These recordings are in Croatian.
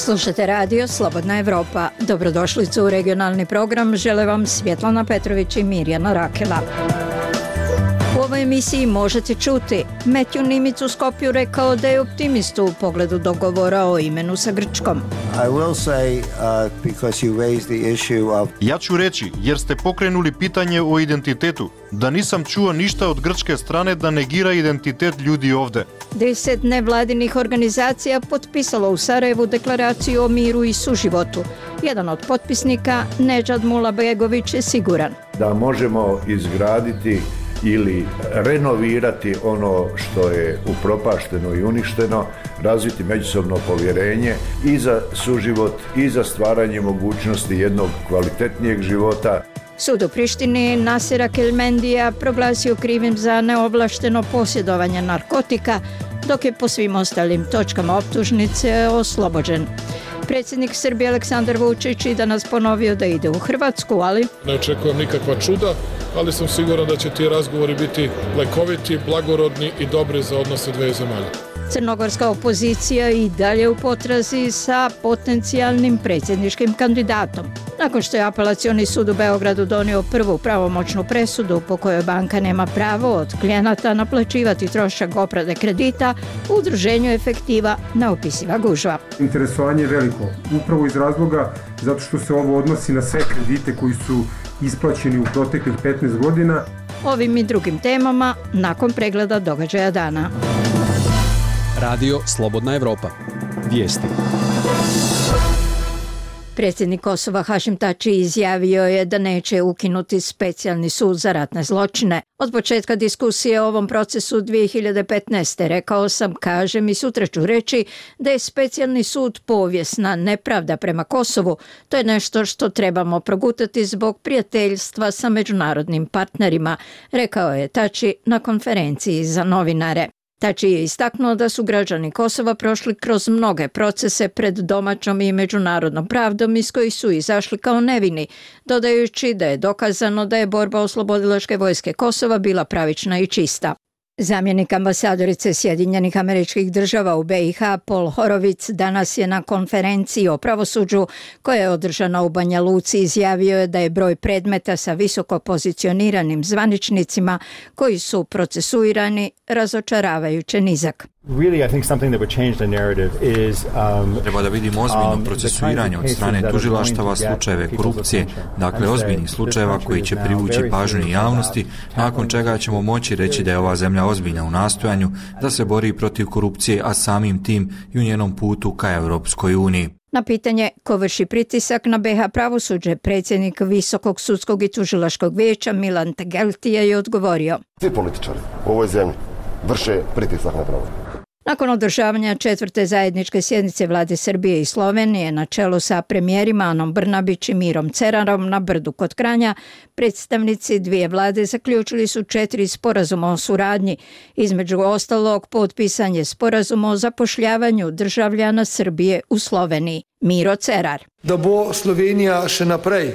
Slušate radio Slobodna Evropa. Dobrodošlicu u regionalni program žele vam Svjetlana Petrović i Mirjana Rakela. U ovoj emisiji možete čuti Matthew Nimic u Skopju rekao da je optimist u pogledu dogovora o imenu sa Grčkom. Ja ću reći, jer ste pokrenuli pitanje o identitetu, da nisam čuo ništa od grčke strane da negira identitet ljudi ovde. 10 nevladinih organizacija potpisalo u Sarajevu deklaraciju o miru i suživotu. Jedan od potpisnika, Nedžad Mulabegović, je siguran da možemo izgraditi ili renovirati ono što je upropašteno i uništeno, razviti međusobno povjerenje i za suživot i za stvaranje mogućnosti jednog kvalitetnijeg života. Sud u Prištini Nasira Kelmendija proglasio krivim za neovlašteno posjedovanje narkotika, dok je po svim ostalim točkama optužnice oslobođen. Predsjednik Srbije Aleksandar Vučić i danas ponovio da ide u Hrvatsku, ali ne očekujem nikakva čuda, ali sam siguran da će ti razgovori biti lekoviti, blagorodni i dobri za odnose dve zemalja. Crnogorska opozicija i dalje u potrazi sa potencijalnim predsjedničkim kandidatom. Nakon što je Apelacioni sud u Beogradu donio prvu pravomoćnu presudu po kojoj banka nema pravo od klijenata naplaćivati trošak oprade kredita, u udruženju Efektiva neopisiva gužva. Interesovanje je veliko, upravo iz razloga zato što se ovo odnosi na sve kredite koji su isplaćeni u proteklih 15 godina. Ovim i drugim temama nakon pregleda događaja dana. Radio Slobodna Evropa. Vijesti. Predsjednik Kosova Hašim Tači izjavio je da neće ukinuti specijalni sud za ratne zločine. Od početka diskusije o ovom procesu 2015. rekao sam, kažem i sutra ću reći da je specijalni sud povijesna nepravda prema Kosovu. To je nešto što trebamo progutati zbog prijateljstva sa međunarodnim partnerima, rekao je Tači na konferenciji za novinare. Tači je istaknuo da su građani Kosova prošli kroz mnoge procese pred domaćom i međunarodnom pravdom iz kojih su izašli kao nevini, dodajući da je dokazano da je borba oslobodilačke vojske Kosova bila pravična i čista. Zamjenik ambasadorice Sjedinjenih Američkih Država u BiH Paul Horovic danas je na konferenciji o pravosuđu koja je održana u Banja Luci izjavio je da je broj predmeta sa visoko pozicioniranim zvaničnicima koji su procesuirani razočaravajuće nizak. Treba da vidimo ozbiljno procesuiranje od strane tužilaštava slučajeve korupcije, dakle ozbiljnih slučajeva koji će privući pažnju javnosti, nakon čega ćemo moći reći da je ova zemlja ozbiljna u nastojanju da se bori protiv korupcije, a samim tim i u njenom putu ka Europskoj uniji. Na pitanje ko vrši pritisak na BiH pravosuđe, predsjednik Visokog sudskog i tužilačkog vijeća Milan Tegeltija je odgovorio: svi političari u ovoj zemlji vrše pritisak na pravo. Nakon održavanja 4. zajedničke sjednice vlade Srbije i Slovenije na čelu sa premijerima Anom Brnabić i Mirom Cerarom na Brdu kod Kranja, predstavnici dvije vlade zaključili su 4 sporazuma o suradnji. Između ostalog, potpisan je sporazum o zapošljavanju državljana Srbije u Sloveniji. Miro Cerar. Da bo Slovenija še naprej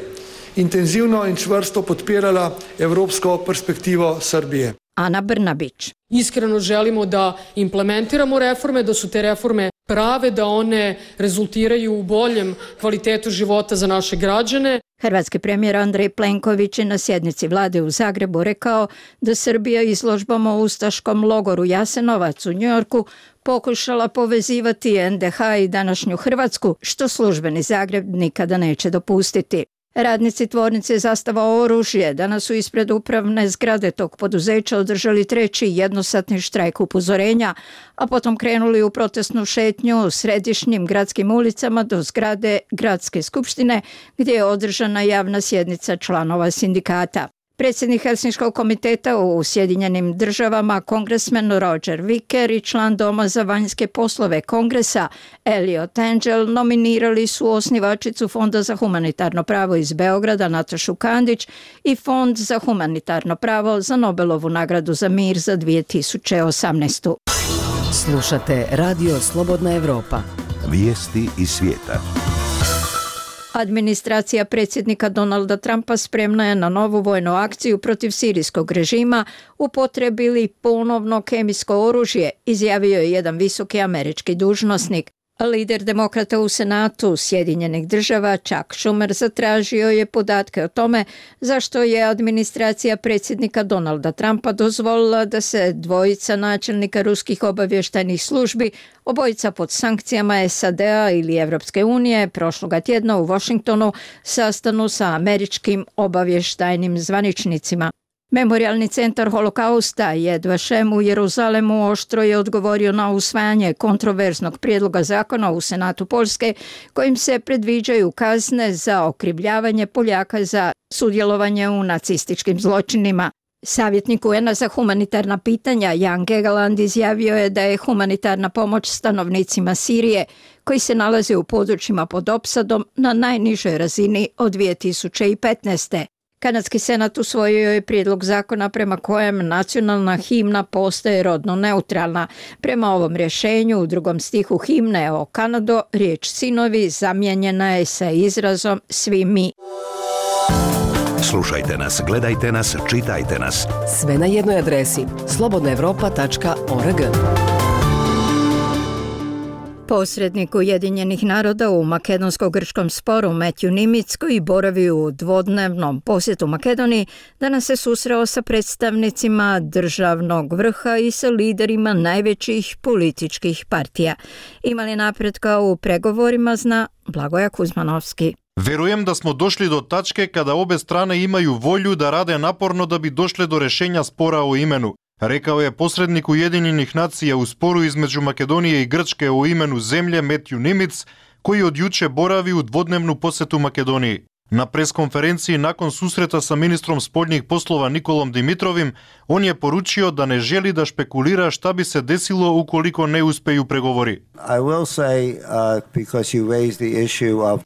intenzivno in čvrsto podpirala evropsko perspektivo Srbije. Ana Brnabić. Iskreno želimo da implementiramo reforme, da su te reforme prave, da one rezultiraju u boljem kvalitetu života za naše građane. Hrvatski premijer Andrej Plenković je na sjednici vlade u Zagrebu rekao da Srbija izložbom o ustaškom logoru Jasenovac u Njujorku pokušala povezivati NDH i današnju Hrvatsku, što službeni Zagreb nikada neće dopustiti. Radnici tvornice Zastava oružje danas su ispred upravne zgrade tog poduzeća održali 3. jednosatni štrajk upozorenja, a potom krenuli u protestnu šetnju središnjim gradskim ulicama do zgrade Gradske skupštine gdje je održana javna sjednica članova sindikata. Predsjednik Helsinškog komiteta u Sjedinjenim Državama, kongresmen Roger Wicker i član Doma za vanjske poslove Kongresa Eliot Engel nominirali su osnivačicu Fonda za humanitarno pravo iz Beograda Natašu Kandić i Fond za humanitarno pravo za Nobelovu nagradu za mir za 2018. Slušate Radio Slobodna Evropa. Vijesti iz svijeta. Administracija predsjednika Donalda Trumpa spremna je na novu vojnu akciju protiv sirijskog režima, upotrijebili ponovno kemijsko oružje, izjavio je jedan visoki američki dužnosnik. Lider demokrata u Senatu Sjedinjenih država Chuck Schumer zatražio je podatke o tome zašto je administracija predsjednika Donalda Trumpa dozvolila da se dvojica načelnika ruskih obavještajnih službi, obojica pod sankcijama SAD-a ili Evropske unije, prošloga tjedna u Washingtonu sastanu sa američkim obavještajnim zvaničnicima. Memorijalni centar holokausta Yad Vashem u Jeruzalemu oštro je odgovorio na usvajanje kontroverznog prijedloga zakona u Senatu Poljske kojim se predviđaju kazne za okrivljavanje Poljaka za sudjelovanje u nacističkim zločinima. Savjetnik UN-a za humanitarna pitanja Jan Gegeland izjavio je da je humanitarna pomoć stanovnicima Sirije koji se nalaze u područjima pod opsadom na najnižoj razini od 2015. Kanadski senat usvojio je prijedlog zakona prema kojem nacionalna himna postaje rodno neutralna. Prema ovom rješenju u drugom stihu himne o Kanado riječ sinovi zamijenjena je sa izrazom svi mi. Slušajte nas, gledajte nas, čitajte nas. Sve na jednoj adresi slobodnaevropa.org. Posrednik Ujedinjenih naroda u makedonsko-grčkom sporu Matthew Nimitz, koji boravi u dvodnevnom posjetu Makedoniji, danas se susreo sa predstavnicima državnog vrha i sa liderima najvećih političkih partija. Ima li napretka u pregovorima, zna Blagoja Kuzmanovski. Verujem da smo došli do tačke kada obe strane imaju volju da rade naporno da bi došle do rešenja spora o imenu, rekao je posrednik Ujedinjenih nacija u sporu između Makedonije i Grčke o imenu zemlje Matthew Nimitz, koji od juče boravi u dvodnevnu posetu Makedoniji. Na preskonferenciji nakon susreta sa ministrom spoljnih poslova Nikolom Dimitrovim, on je poručio da ne želi da špekulira šta bi se desilo ukoliko ne uspeju pregovori.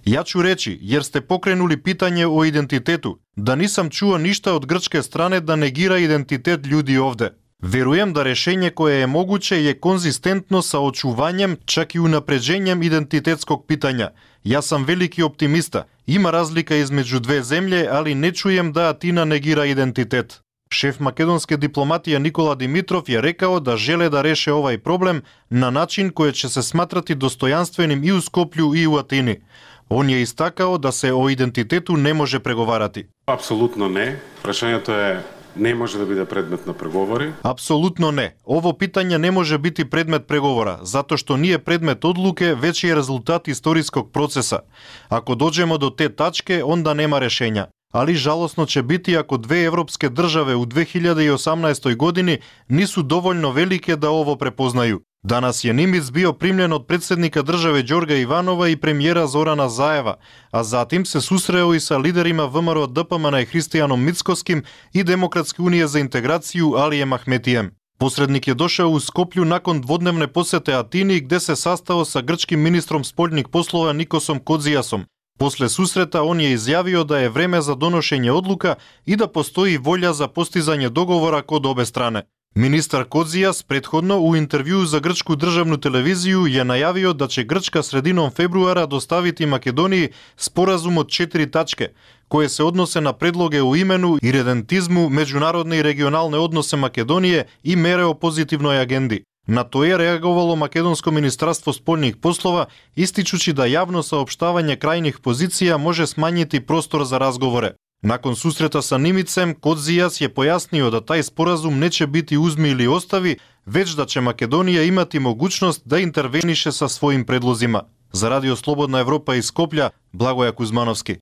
Ja ću reći, jer ste pokrenuli pitanje o identitetu, da nisam čuo ništa od grčke strane da negira identitet ljudi ovde. Verujem da rešenje koje je moguće je konzistentno sa očuvanjem, čak i unapređenjem identitetskog pitanja. Ja sam veliki optimista. Ima razlika između dve zemlje, ali ne čujem da Atina negira identitet. Šef makedonske diplomatije Nikola Dimitrov je rekao da žele da reše ovaj problem na način koji će se smatrati dostojanstvenim i u Skoplju i u Atini. On je istakao da se o identitetu ne može pregovarati. Apsolutno ne. Prašenjato je ne može da bude predmet na pregovori. Apsolutno ne. Ovo pitanje ne može biti predmet pregovora, zato što nije predmet odluke, već je rezultat istorijskog procesa. Ako dođemo do te tačke, onda nema rešenja. Ali žalosno će biti ako dve evropske države u 2018. godini nisu dovoljno velike da ovo prepoznaju. Danas je Nimitz bio primljen od predsjednika države Đorga Ivanova i premijera Zorana Zajeva, a zatim se susreo i sa liderima VMRO DPMN i Hristijanom Mickoskim i Demokratske unije za integraciju Alijem Ahmetijem. Posrednik je došao u Skoplju nakon dvodnevne posete Atini gde se sastao sa grčkim ministrom spoljnih poslova Nikosom Kodzijasom. Posle susreta on je izjavio da je vreme za donošenje odluka i da postoji volja za postizanje dogovora kod obe strane. Ministar Kodzijas prethodno u intervjuu za grčku državnu televiziju je najavio da će Grčka sredinom februara dostaviti Makedoniji sporazum od 4 tačke, koje se odnose na predloge o imenu, iredentizmu, međunarodne i regionalne odnose Makedonije i mere o pozitivnoj agendi. Na to je reagovalo Makedonsko ministarstvo spoljnih poslova, ističući da javno saopštavanje krajnjih pozicija može smanjiti prostor za razgovore. Nakon susreta sa Nimicem, Kodzijas je pojasnio da taj sporazum neće biti uzmi ili ostavi, već da će Makedonija imati mogućnost da interveniše sa svojim predlozima. Za Radio Slobodna Evropa iz Skoplja, Blagoja Kuzmanovski.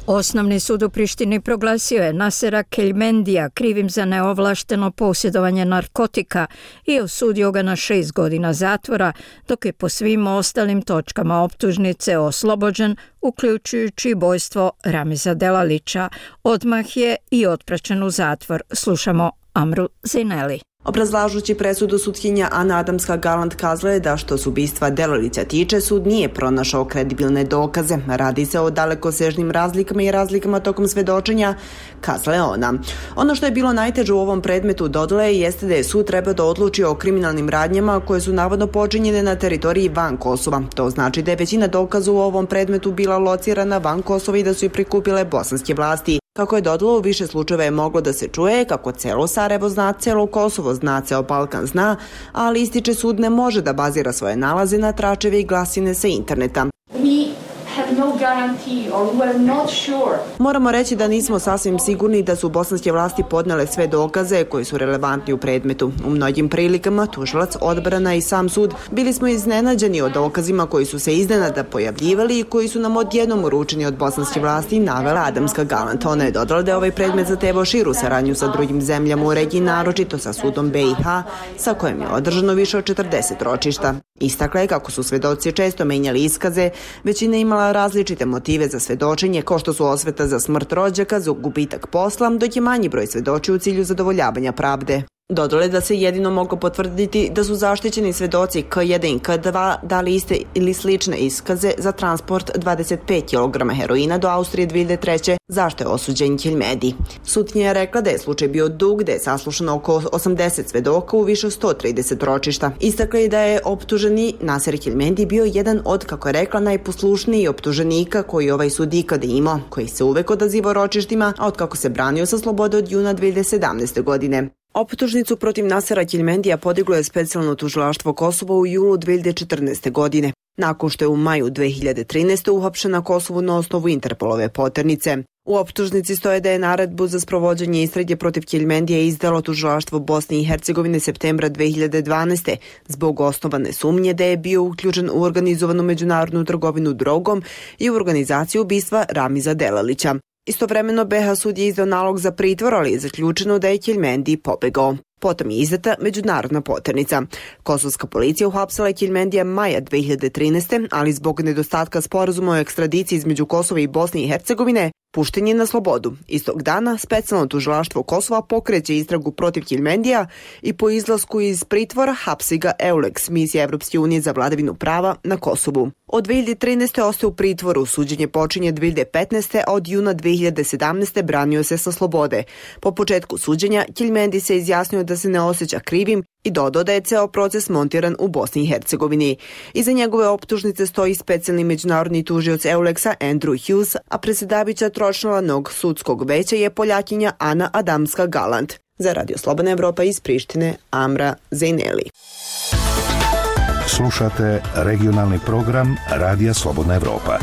Osnovni sud u Prištini proglasio je Nasera Keljmendija krivim za neovlašteno posjedovanje narkotika i osudio ga na 6 godina zatvora, dok je po svim ostalim točkama optužnice oslobođen, uključujući ubojstvo Ramiza Delalića. Odmah je i otpraćen u zatvor. Slušamo Amru Zineli. Obrazlažući presudu, sutkinja Ana Adamska-Galant kazala je da što se ubistva Delalića tiče, sud nije pronašao kredibilne dokaze. Radi se o dalekosežnim razlikama i razlikama tokom svedočenja, kazala je ona. Ono što je bilo najteže u ovom predmetu, dodala je, jeste da je sud trebao da odluči o kriminalnim radnjama koje su navodno počinjene na teritoriji van Kosova. To znači da je većina dokaza u ovom predmetu bila locirana van Kosova i da su je prikupile bosanske vlasti. Kako je dodalo, u više slučajeva je moglo da se čuje kako celo Sarajevo zna, celo Kosovo zna, ceo Balkan zna, ali ističe sud ne može da bazira svoje nalaze na tračeve i glasine sa interneta. Moramo reći da nismo sasvim sigurni da su bosanske vlasti podnele sve dokaze koji su relevantni u predmetu. U mnogim prilikama tužilac, odbrana i sam sud bili smo iznenađeni o dokazima koji su se iznenada pojavljivali i koji su nam odjednom uručeni od bosanske vlasti, navela Adamska Galant. Ona je dodala da je ovaj predmet zatevao širu saradnju sa drugim zemljama u regiji, naročito sa sudom BiH, sa kojim je održano više od 40 ročišta. Istakla je kako su svedoci često menjali iskaze, većina imala različite motive za svedočenje, kao što su osveta za smrt rođaka, za gubitak posla, dok je manji broj svedoči u cilju zadovoljavanja pravde. Dodale da se jedino moglo potvrditi da su zaštićeni svedoci K1 i K2 dali iste ili slične iskaze za transport 25 kg heroina do Austrije 2003. zašto je osuđen Keljmedi. Sutkinja je rekla da je slučaj bio dug, da je saslušano oko 80 svedoka u više 130 ročišta. Istakla je da je optuženi Naser Keljmedi bio jedan od, kako je rekla, najposlušnijih optuženika koji ovaj sud ikada imao, koji se uvek odazivao ročištima, a od kako se branio sa slobode od juna 2017. godine. Optužnicu protiv Nasera Keljmendija podiglo je specijalno tužilaštvo Kosova u julu 2014. godine, nakon što je u maju 2013. uhapšen na Kosovu na osnovu Interpolove poternice. U optužnici stoje da je naredbu za sprovođenje istrage protiv Keljmendija izdalo tužilaštvo Bosne i Hercegovine septembra 2012. zbog osnovane sumnje da je bio uključen u organizovanu međunarodnu trgovinu drogom i u organizaciju ubistva Ramiza Delalića. Istovremeno BiH sud je izdao nalog za pritvor, ali je zaključeno da je Keljmendi pobegao. Potom je izdata međunarodna poternica. Kosovska policija uhapsila je Keljmendija maja 2013. ali zbog nedostatka sporazuma o ekstradiciji između Kosova i Bosne i Hercegovine pušten je na slobodu. Istog dana specijalno tužilaštvo Kosova pokreće istragu protiv Keljmendija i po izlasku iz pritvora hapsi ga EULEX, misija Evropske unije za vladavinu prava na Kosovu. Od 2013. ostaje u pritvoru, suđenje počinje 2015. a od juna 2017. branio se sa slobode. Po početku suđenja Keljmendi se izjasnio da se ne osjeća krivim i dodao da je ceo proces montiran u Bosni i Hercegovini. Iza njegove optužnice stoji specijalni međunarodni tužioc EULEX-a Andrew Hughes, a predsjedavajuća tročlanog sudskog veća je Poljakinja Ana Adamska Galant. Za Radio Slobodna Evropa iz Prištine, Amra Zejneli. Slušate regionalni program Radija Slobodna Evropa.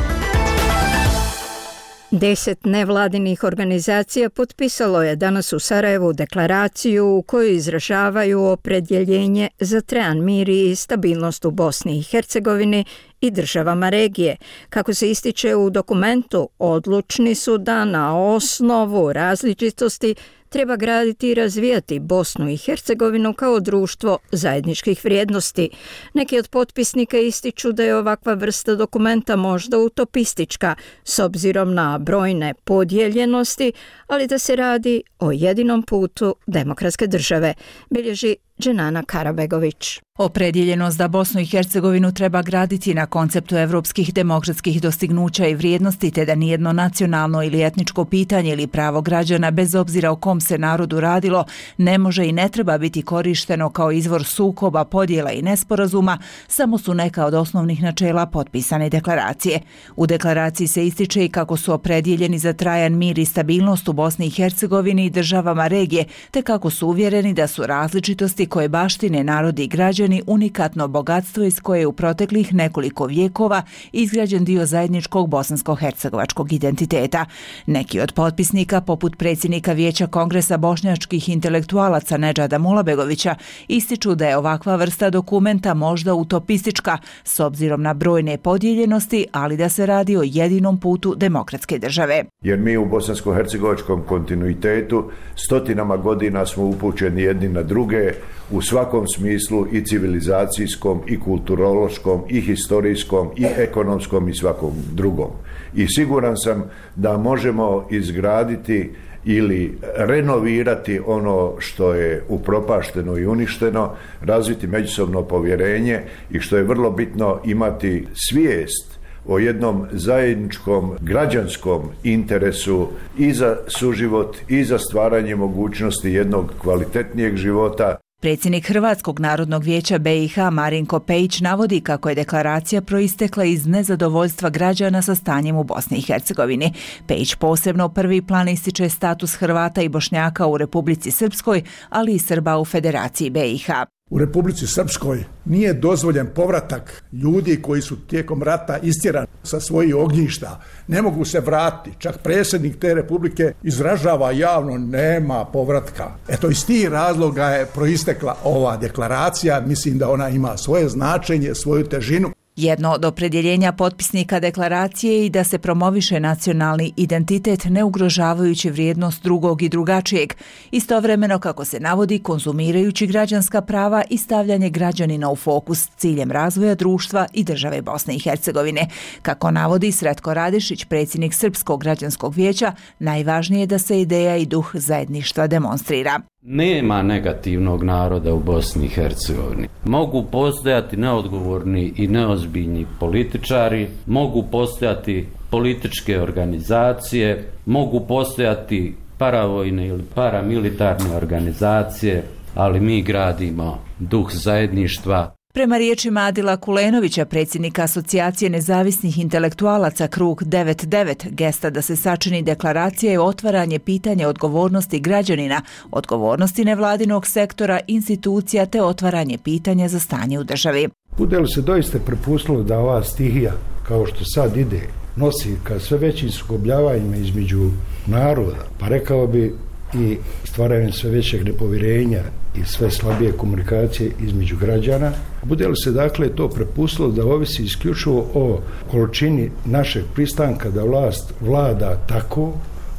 10 nevladinih organizacija potpisalo je danas u Sarajevu deklaraciju u kojoj izražavaju opredjeljenje za trajan mir i stabilnost u Bosni i Hercegovini i državama regije. Kako se ističe u dokumentu, odlučni su da na osnovu različitosti treba graditi i razvijati Bosnu i Hercegovinu kao društvo zajedničkih vrijednosti. Neki od potpisnika ističu da je ovakva vrsta dokumenta možda utopistička s obzirom na brojne podijeljenosti, ali da se radi o jedinom putu demokratske države, bilježi Dženana Karabegović. Opredjeljenost da Bosnu i Hercegovinu treba graditi na konceptu evropskih demokratskih dostignuća i vrijednosti, te da nijedno nacionalno ili etničko pitanje ili pravo građana, bez obzira o kom se narodu radilo, ne može i ne treba biti korišteno kao izvor sukoba, podjela i nesporazuma, samo su neka od osnovnih načela potpisane deklaracije. U deklaraciji se ističe i kako su opredjeljeni za trajan mir i stabilnost u Bosni i Hercegovini i državama regije, te kako su uvjereni da su različitosti koje baštine narodi i građani unikatno bogatstvo iz koje je u proteklih nekoliko vijekova izgrađen dio zajedničkog bosansko-hercegovačkog identiteta. Neki od potpisnika, poput predsjednika Vijeća Kongresa bošnjačkih intelektualaca Nedžada Mulabegovića, ističu da je ovakva vrsta dokumenta možda utopistička s obzirom na brojne podijeljenosti, ali da se radi o jedinom putu demokratske države. Jer mi u bosansko-hercegovačkom kontinuitetu stotinama godina smo upućeni jedni na druge u svakom smislu, i civilizacijskom, i kulturološkom, i historijskom, i ekonomskom i svakom drugom. I siguran sam da možemo izgraditi ili renovirati ono što je upropašteno i uništeno, razviti međusobno povjerenje i, što je vrlo bitno, imati svijest o jednom zajedničkom građanskom interesu i za suživot i za stvaranje mogućnosti jednog kvalitetnijeg života. Predsjednik Hrvatskog narodnog vijeća BiH Marinko Pejić navodi kako je deklaracija proistekla iz nezadovoljstva građana sa stanjem u Bosni i Hercegovini. Pejić posebno u prvi plan ističe status Hrvata i Bošnjaka u Republici Srpskoj, ali i Srba u Federaciji BiH. U Republici Srpskoj nije dozvoljen povratak ljudi koji su tijekom rata istjerani sa svojih ognjišta. Ne mogu se vratiti. Čak predsjednik te republike izražava javno nema povratka. Eto, iz tih razloga je proistekla ova deklaracija. Mislim da ona ima svoje značenje, svoju težinu. Jedno od opredjeljenja potpisnika deklaracije je i da se promoviše nacionalni identitet ne ugrožavajući vrijednost drugog i drugačijeg, istovremeno kako se navodi konzumirajući građanska prava i stavljanje građanina u fokus s ciljem razvoja društva i države Bosne i Hercegovine. Kako navodi Sretko Radišić, predsjednik Srpskog građanskog vijeća, najvažnije je da se ideja i duh zajedništva demonstrira. Nema negativnog naroda u Bosni i Hercegovini. Mogu postojati neodgovorni i neozbiljni političari, mogu postojati političke organizacije, mogu postojati paravojne ili paramilitarne organizacije, ali mi gradimo duh zajedništva. Prema riječima Adila Kulenovića, predsjednika Asocijacije nezavisnih intelektualaca Krug 99, gesta da se sačini deklaracija je otvaranje pitanja odgovornosti građanina, odgovornosti nevladinog sektora, institucija te otvaranje pitanja za stanje u državi. Bude li se doista prepustilo da ova stihija, kao što sad ide, nosi ka sve većim sukobljavanjima između naroda, pa rekao bi i stvaranjem sve većeg nepovjerenja i sve slabije komunikacije između građana. Bude li se dakle to prepustilo da ovisi isključivo o količini našeg pristanka da vlast vlada tako,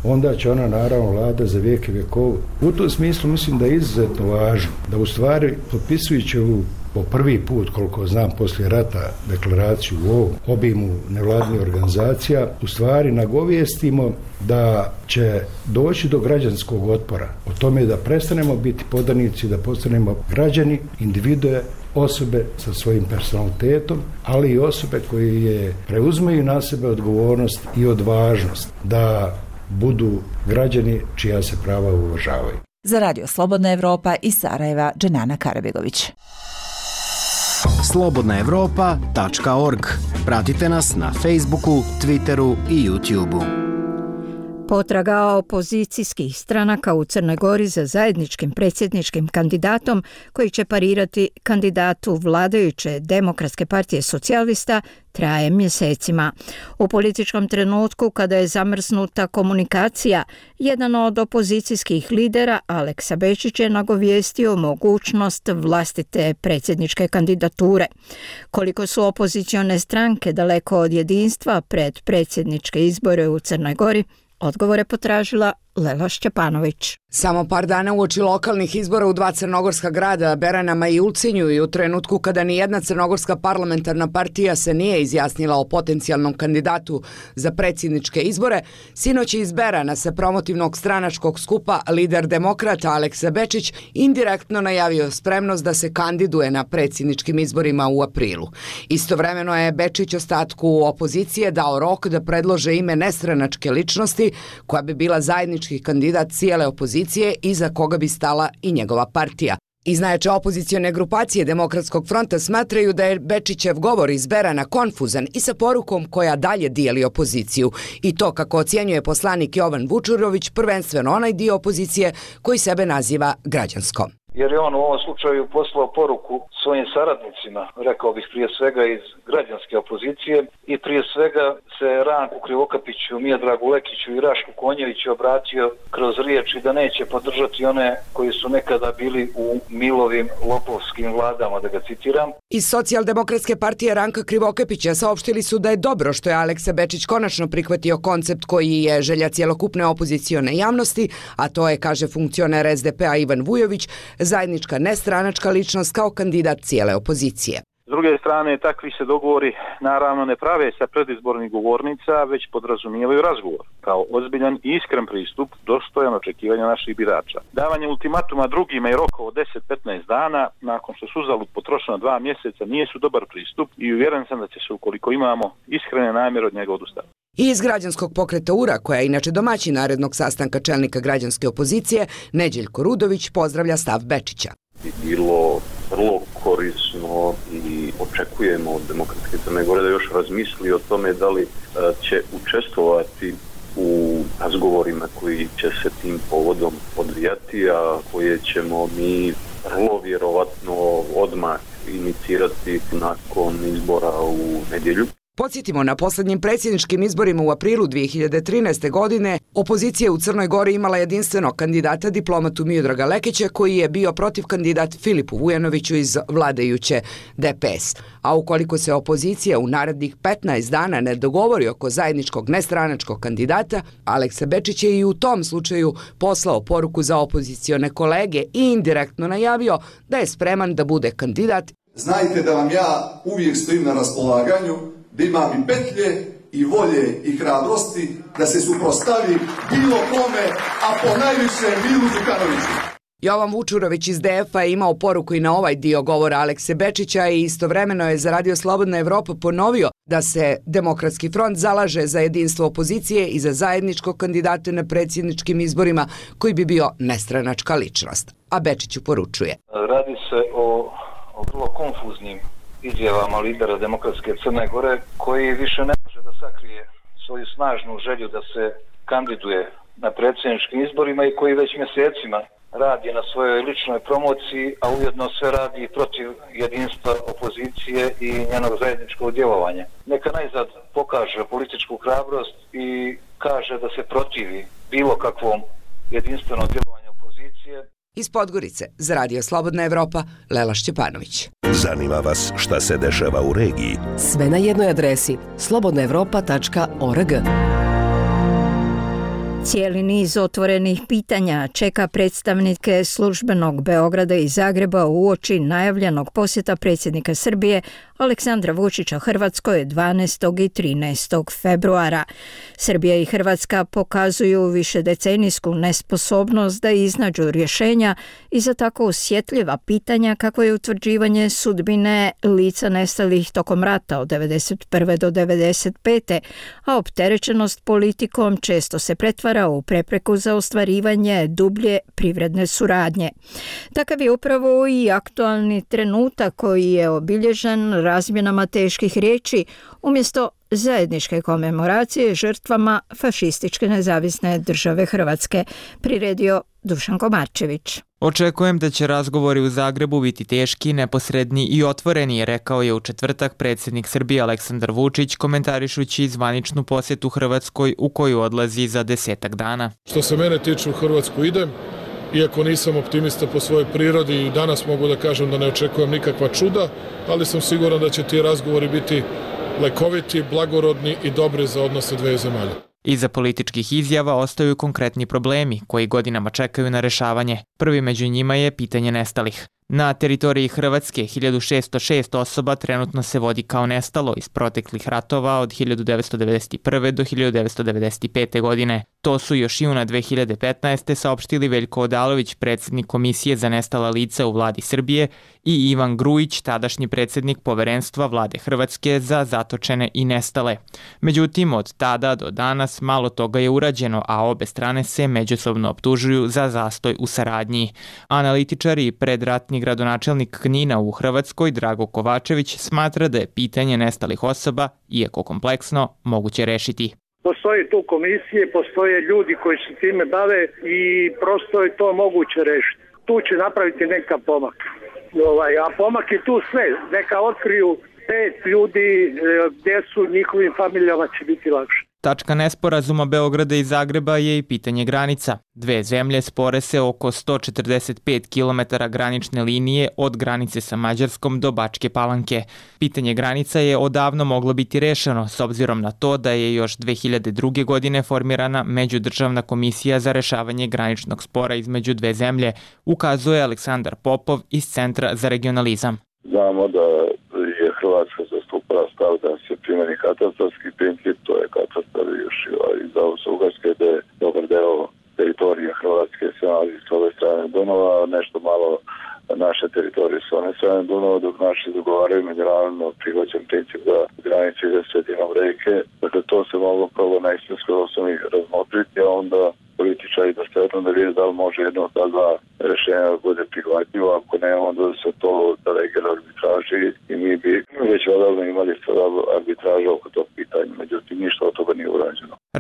onda će ona naravno vlada za vijeke vjekova. U tom smislu mislim da je izuzetno važno da u stvari potpisujući ovu po prvi put, koliko znam, poslije rata deklaraciju u ovom obimu nevladinih organizacija, u stvari nagovijestimo da će doći do građanskog otpora. O tome da prestanemo biti podanici, da postanemo građani, individue, osobe sa svojim personalitetom, ali i osobe koje preuzmeju na sebe odgovornost i odvažnost da budu građani čija se prava uvažavaju. Za Radio Slobodna Evropa iz Sarajeva, Dženana Karabegović. slobodnaevropa.org. Pratite nas na Facebooku, Twitteru i YouTubeu. Potraga opozicijskih stranaka u Crnoj Gori za zajedničkim predsjedničkim kandidatom koji će parirati kandidatu vladajuće Demokratske partije socijalista traje mjesecima. U političkom trenutku kada je zamrznuta komunikacija, jedan od opozicijskih lidera, Aleksa Bečić, je nagovijestio mogućnost vlastite predsjedničke kandidature. Koliko su opozicione stranke daleko od jedinstva pred predsjedničke izbore u Crnoj Gori, odgovore potražila Lela Šćepanović. Samo par dana uoči lokalnih izbora u dva crnogorska grada, Beranama i Ulcinju, i u trenutku kada nijedna crnogorska parlamentarna partija se nije izjasnila o potencijalnom kandidatu za predsjedničke izbore, sinoć iz Berana sa promotivnog stranačkog skupa lider demokrata Aleksa Bečić indirektno najavio spremnost da se kandiduje na predsjedničkim izborima u aprilu. Istovremeno je Bečić ostatku opozicije dao rok da predlože ime nestranačke ličnosti koja bi bila zajednički kandidat cijele opozicije i za koga bi stala i njegova partija. Iz najjače opozicione grupacije Demokratskog fronta smatraju da je Bečićev govor iz Berana konfuzan i sa porukom koja dalje dijeli opoziciju. I to, kako ocjenjuje poslanik Jovan Vučurović, prvenstveno onaj dio opozicije koji sebe naziva građanskom. Jer je on u ovom slučaju poslao poruku svojim saradnicima, rekao bih prije svega iz građanske opozicije, i prije svega se Ranku Krivokapiću, Mijadragu Lekiću i Rašku Konjeviću obratio kroz riječi da neće podržati one koji su nekada bili u Milovim lopovskim vladama, da ga citiram. Iz Socijaldemokratske partije Ranka Krivokapića saopštili su da je dobro što je Aleksa Bečić konačno prihvatio koncept koji je želja cjelokupne opozicione javnosti, a to je, kaže funkcioner SDP-a Ivan Vujović, zajednička nestranačka ličnost kao kandidat cijele opozicije. S druge strane, takvi se dogovori naravno ne prave sa predizbornih govornica, već podrazumijevaju razgovor kao ozbiljan i iskren pristup dostojan očekivanja naših birača. Davanje ultimatuma drugima i rokova od 10-15 dana nakon što su uzalud potrošeno 2 mjeseca nije su dobar pristup i uvjeren sam da će se, ukoliko imamo iskrene namjere, od njega odustati. I iz građanskog pokreta URA, koja je inače domaćin narednog sastanka čelnika građanske opozicije, Neđeljko Rudović pozdravlja stav Bečića. bi bilo vrlo korisno i očekujemo od Demokratske Crne Gore da još razmisli o tome da li će učestvovati u razgovorima koji će se tim povodom odvijati, a koje ćemo mi vrlo vjerovatno odmah inicirati nakon izbora u nedjelju. Podsjetimo, na posljednjim predsjedničkim izborima u aprilu 2013. godine opozicija u Crnoj Gori imala jedinstvenog kandidata diplomatu Miodraga Lekića, koji je bio protiv kandidat Filipu Vujanoviću iz vladajuće DPS. A ukoliko se opozicija u narednih 15 dana ne dogovori oko zajedničkog nestranačkog kandidata, Aleksa Bečić je i u tom slučaju poslao poruku za opozicione kolege i indirektno najavio da je spreman da bude kandidat. Znajte da vam ja uvijek stojim na raspolaganju, da imam i petlje i volje i hrabrosti da se suprotstavi bilo kome, a po najviše Milu Đukanoviću. Jovan Vučurović iz DF-a je imao poruku i na ovaj dio govora Alekse Bečića i istovremeno je za Radio Slobodna Evropa ponovio da se Demokratski front zalaže za jedinstvo opozicije i za zajedničkog kandidata na predsjedničkim izborima koji bi bio nestranačka ličnost. A Bečiću poručuje. Radi se o vrlo konfuznim izjavama lidera Demokratske Crne Gore, koji više ne može da sakrije svoju snažnu želju da se kandiduje na predsjedničkim izborima i koji već mjesecima radi na svojoj ličnoj promociji, a ujedno sve radi protiv jedinstva opozicije i njenog zajedničkog djelovanja. Neka najzad pokaže političku hrabrost i kaže da se protivi bilo kakvom jedinstvenom djelovanju opozicije. Iz Podgorice za Radio Slobodna Evropa, Lela Šćepanović. Zanima vas šta se dešava u regiji? Sve na jednoj adresi slobodnaevropa.org. Cijeli niz otvorenih pitanja čeka predstavnike službenog Beograda i Zagreba uoči najavljenog posjeta predsjednika Srbije Aleksandra Vučića Hrvatskoj 12. i 13. februara. Srbija i Hrvatska pokazuju višedecenijsku nesposobnost da iznađu rješenja i za tako osjetljiva pitanja kako je utvrđivanje sudbine lica nestalih tokom rata od 1991. do 1995. a opterećenost politikom često se pretvara u prepreku za ostvarivanje dublje privredne suradnje. Takav je upravo i aktualni trenutak koji je obilježen razmjenama teških riječi umjesto zajedničke komemoracije žrtvama fašističke nezavisne države Hrvatske, priredio Dušan Komarčević. Očekujem da će razgovori u Zagrebu biti teški, neposredni i otvoreni, rekao je u četvrtak predsjednik Srbije Aleksandar Vučić, komentarišući zvaničnu posjetu Hrvatskoj u koju odlazi za 10 dana. Što se mene tiče, u Hrvatsku idem, iako nisam optimista po svojoj prirodi i danas mogu da kažem da ne očekujem nikakva čuda, ali sam siguran da će ti razgovori biti lekoviti, blagorodni i dobri za odnose dve zemalja. Iza političkih izjava ostaju konkretni problemi koji godinama čekaju na rešavanje. Prvi među njima je pitanje nestalih. Na teritoriji Hrvatske 1606 osoba trenutno se vodi kao nestalo iz proteklih ratova od 1991. do 1995. godine. To su još juna 2015. saopštili Veljko Odalović, predsjednik Komisije za nestala lica u vladi Srbije, i Ivan Grujić, tadašnji predsjednik Poverenstva vlade Hrvatske za zatočene i nestale. Međutim, od tada do danas malo toga je urađeno, a obe strane se međusobno optužuju za zastoj u saradnji. Analitičari i predratni gradonačelnik Knina u Hrvatskoj, Drago Kovačević, smatra da je pitanje nestalih osoba, iako kompleksno, moguće rešiti. Postoje tu komisije, postoje ljudi koji se time bave i prosto je to moguće rešiti. Tu će napraviti neka pomak. A pomak je tu sve. Neka otkriju 5 ljudi gdje su, njihovim familijama će biti lakše. Tačka nesporazuma Beograda i Zagreba je i pitanje granica. Dve zemlje spore se oko 145 km granične linije od granice sa Mađarskom do Bačke Palanke. Pitanje granica je odavno moglo biti rešeno s obzirom na to da je još 2002. godine formirana Međudržavna komisija za rešavanje graničnog spora između dve zemlje, ukazuje Aleksandar Popov iz Centra za regionalizam. Znamo da je Hrvatska zastupala stav da se primjeni katastarski princip, to je katastar još iz Austro-Ugarske, da je dobar deo teritorije Hrvatske se nalazi s ove strane Dunava, nešto malo naše teritorije s one strane Dunava, dok naši dogovaraju međunarodno prihvaćen princip da granice ide sredinom reke. Dakle, to se moglo prvo na istinskoj osnovi razmotriti, a onda političari da stvarno da vidi da li može jedno od ta dva rešenja da bude prihvatljivo. Ako nema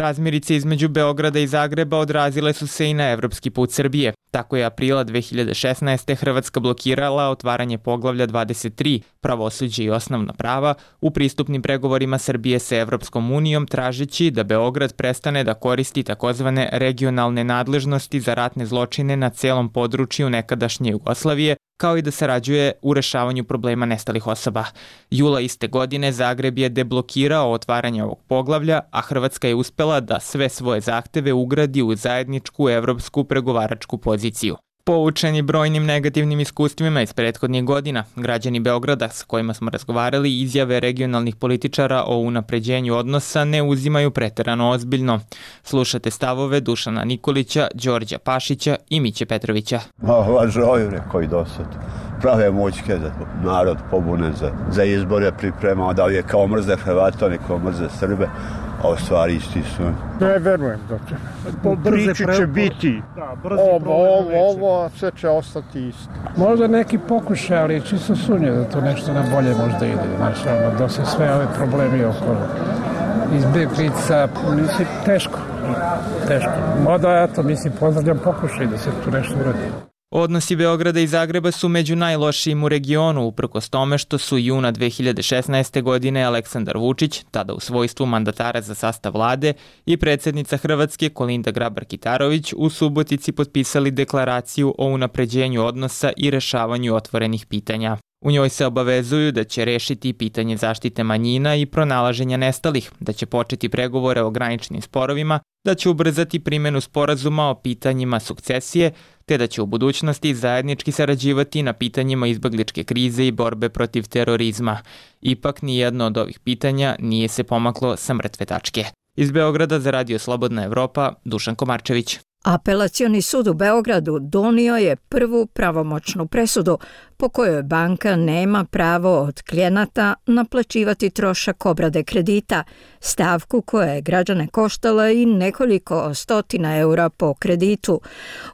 Razmirice između Beograda i Zagreba odrazile su se i na evropski put Srbije. Tako je aprila 2016. Hrvatska blokirala otvaranje poglavlja 23, pravosuđe i osnovna prava, u pristupnim pregovorima Srbije sa Evropskom unijom, tražeći da Beograd prestane da koristi takozvane regionalne nadležnosti za ratne zločine na celom području nekadašnje Jugoslavije, kao i da sarađuje u rešavanju problema nestalih osoba. Jula iste godine Zagreb je deblokirao otvaranje ovog poglavlja, a Hrvatska je uspela da sve svoje zahteve ugradi u zajedničku evropsku pregovaračku poziciju. Poučeni brojnim negativnim iskustvima iz prethodnih godina, građani Beograda sa kojima smo razgovarali izjave regionalnih političara o unapređenju odnosa ne uzimaju preterano ozbiljno. Slušate stavove Dušana Nikolića, Đorđa Pašića i Miće Petrovića. Lažoju koji dosad prave mućke da narod pobune za izbore pripremao, da li je kao mrze Hrvata, ni kao mrze Srbe, a u stvari isti su. Ne verujem da će. Priči će biti. Ovo sve će ostati isto. Možda neki pokušaj, ali čisto sumnje da to nešto na bolje možda ide. Znači, da se sve ove problemi oko izbjeglica, mislim, teško. Mada, eto, mislim, pozdravljam pokušaj da se tu nešto uradi. Odnosi Beograda i Zagreba su među najlošijim u regionu, uprkos tome što su juna 2016. godine Aleksandar Vučić, tada u svojstvu mandatara za sastav vlade, i predsjednica Hrvatske Kolinda Grabar-Kitarović u Subotici potpisali deklaraciju o unapređenju odnosa i rešavanju otvorenih pitanja. U njoj se obavezuju da će rešiti pitanje zaštite manjina i pronalaženja nestalih, da će početi pregovore o graničnim sporovima, da će ubrzati primjenu sporazuma o pitanjima sukcesije, te da će u budućnosti zajednički sarađivati na pitanjima izbegličke krize i borbe protiv terorizma. Ipak nijedno od ovih pitanja nije se pomaklo sa mrtve tačke. Iz Beograda za Radio Slobodna Evropa, Dušan Komarčević. Apelacioni sud u Beogradu donio je prvu pravomoćnu presudu po kojoj banka nema pravo od klijenata naplaćivati trošak obrade kredita, stavku koja je građane koštala i nekoliko stotina eura po kreditu.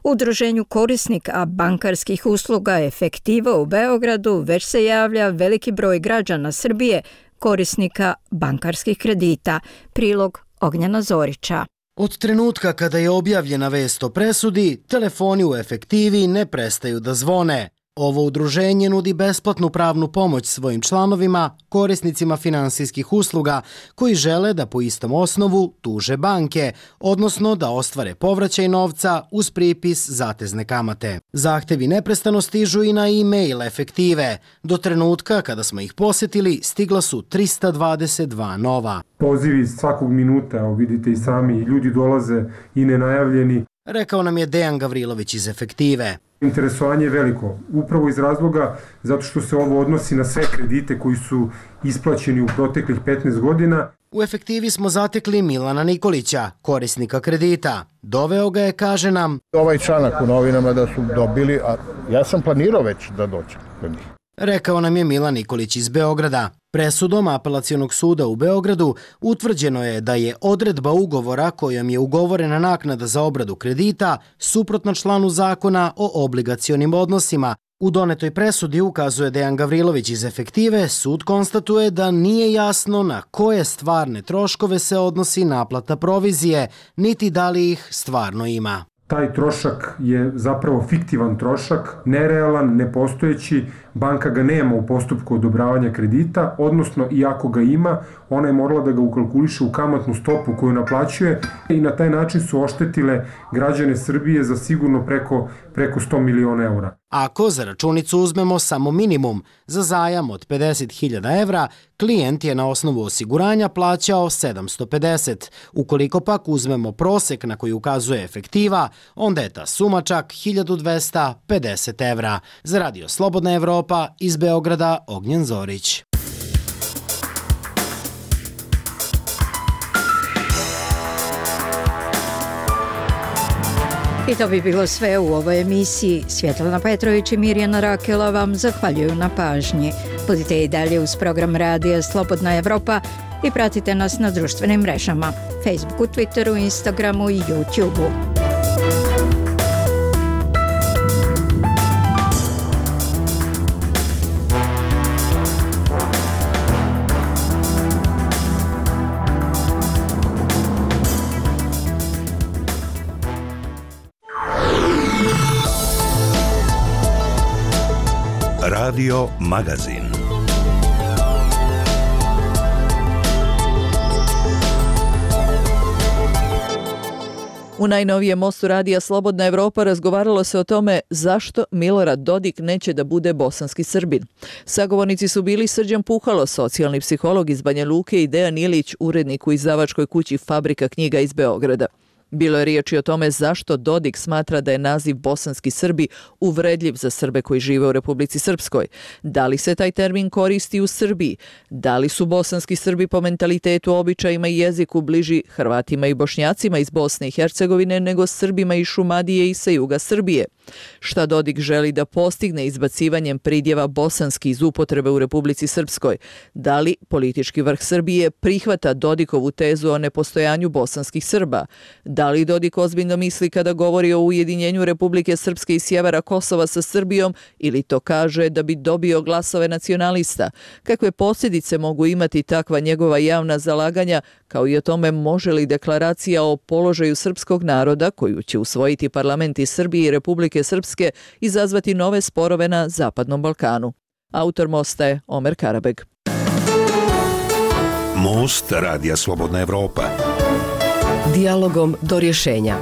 Udruženju korisnika bankarskih usluga Efektiva u Beogradu već se javlja veliki broj građana Srbije, korisnika bankarskih kredita. Prilog Ognjena Zorića. Od trenutka kada je objavljena vest o presudi, telefoni u Efektivi ne prestaju da zvone. Ovo udruženje nudi besplatnu pravnu pomoć svojim članovima, korisnicima finansijskih usluga koji žele da po istom osnovu tuže banke, odnosno da ostvare povraćaj novca uz pripis zatezne kamate. Zahtevi neprestano stižu i na e-mail Efektive. Do trenutka kada smo ih posjetili, stigla su 322 nova. Pozivi svakog minuta, vidite i sami, ljudi dolaze i nenajavljeni. Rekao nam je Dejan Gavrilović iz Efektive. Interesovanje je veliko, upravo iz razloga zato što se ovo odnosi na sve kredite koji su isplaćeni u proteklih 15 godina. U Efektivi smo zatekli Milana Nikolića, korisnika kredita. Doveo ga je, kaže nam, ovaj članak u novinama da su dobili, a ja sam planirao već da dođem do njih. Rekao nam je Milan Nikolić iz Beograda. Presudom Apelacionog suda u Beogradu utvrđeno je da je odredba ugovora kojom je ugovorena naknada za obradu kredita suprotna članu zakona o obligacionim odnosima. U donetoj presudi, ukazuje Dejan Gavrilović iz Efektive, sud konstatuje da nije jasno na koje stvarne troškove se odnosi naplata provizije, niti da li ih stvarno ima. Taj trošak je zapravo fiktivan trošak, nerealan, nepostojeći, banka ga nema u postupku odobravanja kredita, odnosno i ako ga ima, ona je morala da ga ukalkuliše u kamatnu stopu koju naplaćuje i na taj način su oštetile građane Srbije za sigurno preko 100 miliona eura. Ako za računicu uzmemo samo minimum, za zajam od 50.000 evra, klijent je na osnovu osiguranja plaćao 750. Ukoliko pak uzmemo prosek na koji ukazuje Efektiva, onda je ta suma čak 1250 evra. Za Radio Slobodna Evropa, iz Beograda, Ognjen Zorić. I to bi bilo sve u ovoj emisiji. Svjetlana Petrović i Mirjana Rakela vam zahvaljuju na pažnji. Budite i dalje uz program Radija Slobodna Evropa i pratite nas na društvenim mrežama, Facebooku, Twitteru, Instagramu i YouTubeu. Radio Magazin. U najnovijem mostu radija Slobodna Evropa razgovaralo se o tome zašto Milorad Dodik neće da bude bosanski Srbin. Sagovornici su bili Srđan Puhalo, socijalni psiholog iz Banja Luke, i Dejan Ilić, urednik u izdavačkoj kući Fabrika knjiga iz Beograda. Bilo je riječi o tome zašto Dodik smatra da je naziv bosanski Srbi uvredljiv za Srbe koji žive u Republici Srpskoj. Da li se taj termin koristi u Srbiji? Da li su bosanski Srbi po mentalitetu, običajima i jeziku bliži Hrvatima i Bošnjacima iz Bosne i Hercegovine nego Srbima iz Šumadije i sa juga Srbije? Šta Dodik želi da postigne izbacivanjem pridjeva bosanski iz upotrebe u Republici Srpskoj? Da li politički vrh Srbije prihvata Dodikovu tezu o nepostojanju bosanskih Srba? Da li Dodik ozbiljno misli kada govori o ujedinjenju Republike Srpske i sjevera Kosova sa Srbijom ili to kaže da bi dobio glasove nacionalista? Kakve posljedice mogu imati takva njegova javna zalaganja, kao i o tome može li deklaracija o položaju srpskog naroda, koju će usvojiti parlamenti Srbije i Republike Srpske, izazvati nove sporove na Zapadnom Balkanu? Autor mosta je Omer Karabeg. Most Radija Slobodna Evropa. Dijalogom do rješenja.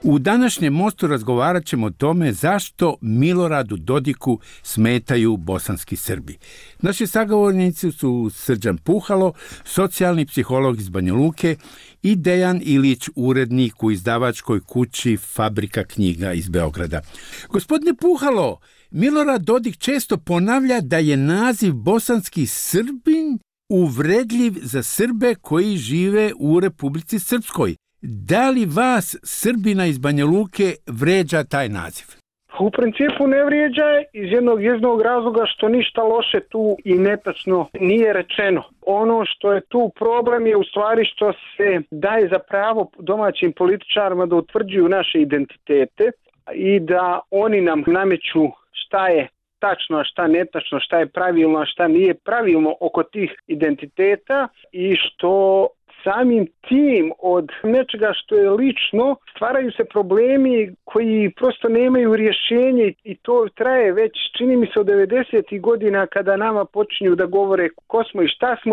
U današnjem mostu razgovarat ćemo o tome zašto Miloradu Dodiku smetaju bosanski Srbi. Naši sagovornici su Srđan Puhalo, socijalni psiholog iz Banja Luke, i Dejan Ilić, urednik u izdavačkoj kući Fabrika knjiga iz Beograda. Gospodine Puhalo, Milorad Dodik često ponavlja da je naziv bosanski Srbin uvredljiv za Srbe koji žive u Republici Srpskoj. Da li vas, Srbina iz Banja Luke, vređa taj naziv? U principu ne vrijeđa iz jednog razloga što ništa loše tu i netačno nije rečeno. Ono što je tu problem je u stvari što se daje za pravo domaćim političarima da utvrđuju naše identitete i da oni nam nameću šta je tačno, a šta netačno, šta je pravilno, a šta nije pravilno oko tih identiteta, i što samim tim od nečega što je lično stvaraju se problemi koji prosto nemaju rješenje, i to traje već, čini mi se, od 90. godina kada nama počinju da govore ko smo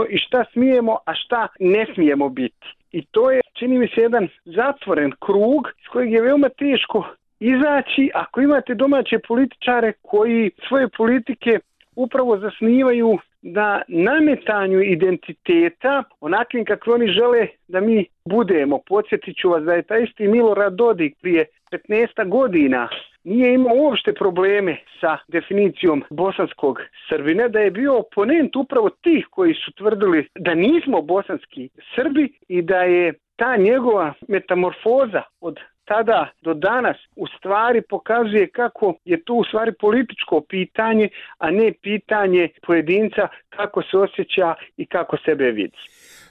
i šta smijemo, a šta ne smijemo biti. I to je, čini mi se, jedan zatvoren krug iz kojeg je veoma teško izaći ako imate domaće političare koji svoje politike upravo zasnivaju na nametanju identiteta onakvim kakvi oni žele da mi budemo. Podsjetit ću vas da je taj isti Milorad Dodik prije 15 godina nije imao uopšte probleme sa definicijom bosanskog Srbina, da je bio oponent upravo tih koji su tvrdili da nismo bosanski Srbi i da je ta njegova metamorfoza od tada do danas u stvari pokazuje kako je to u stvari političko pitanje, a ne pitanje pojedinca kako se osjeća i kako sebe vidi.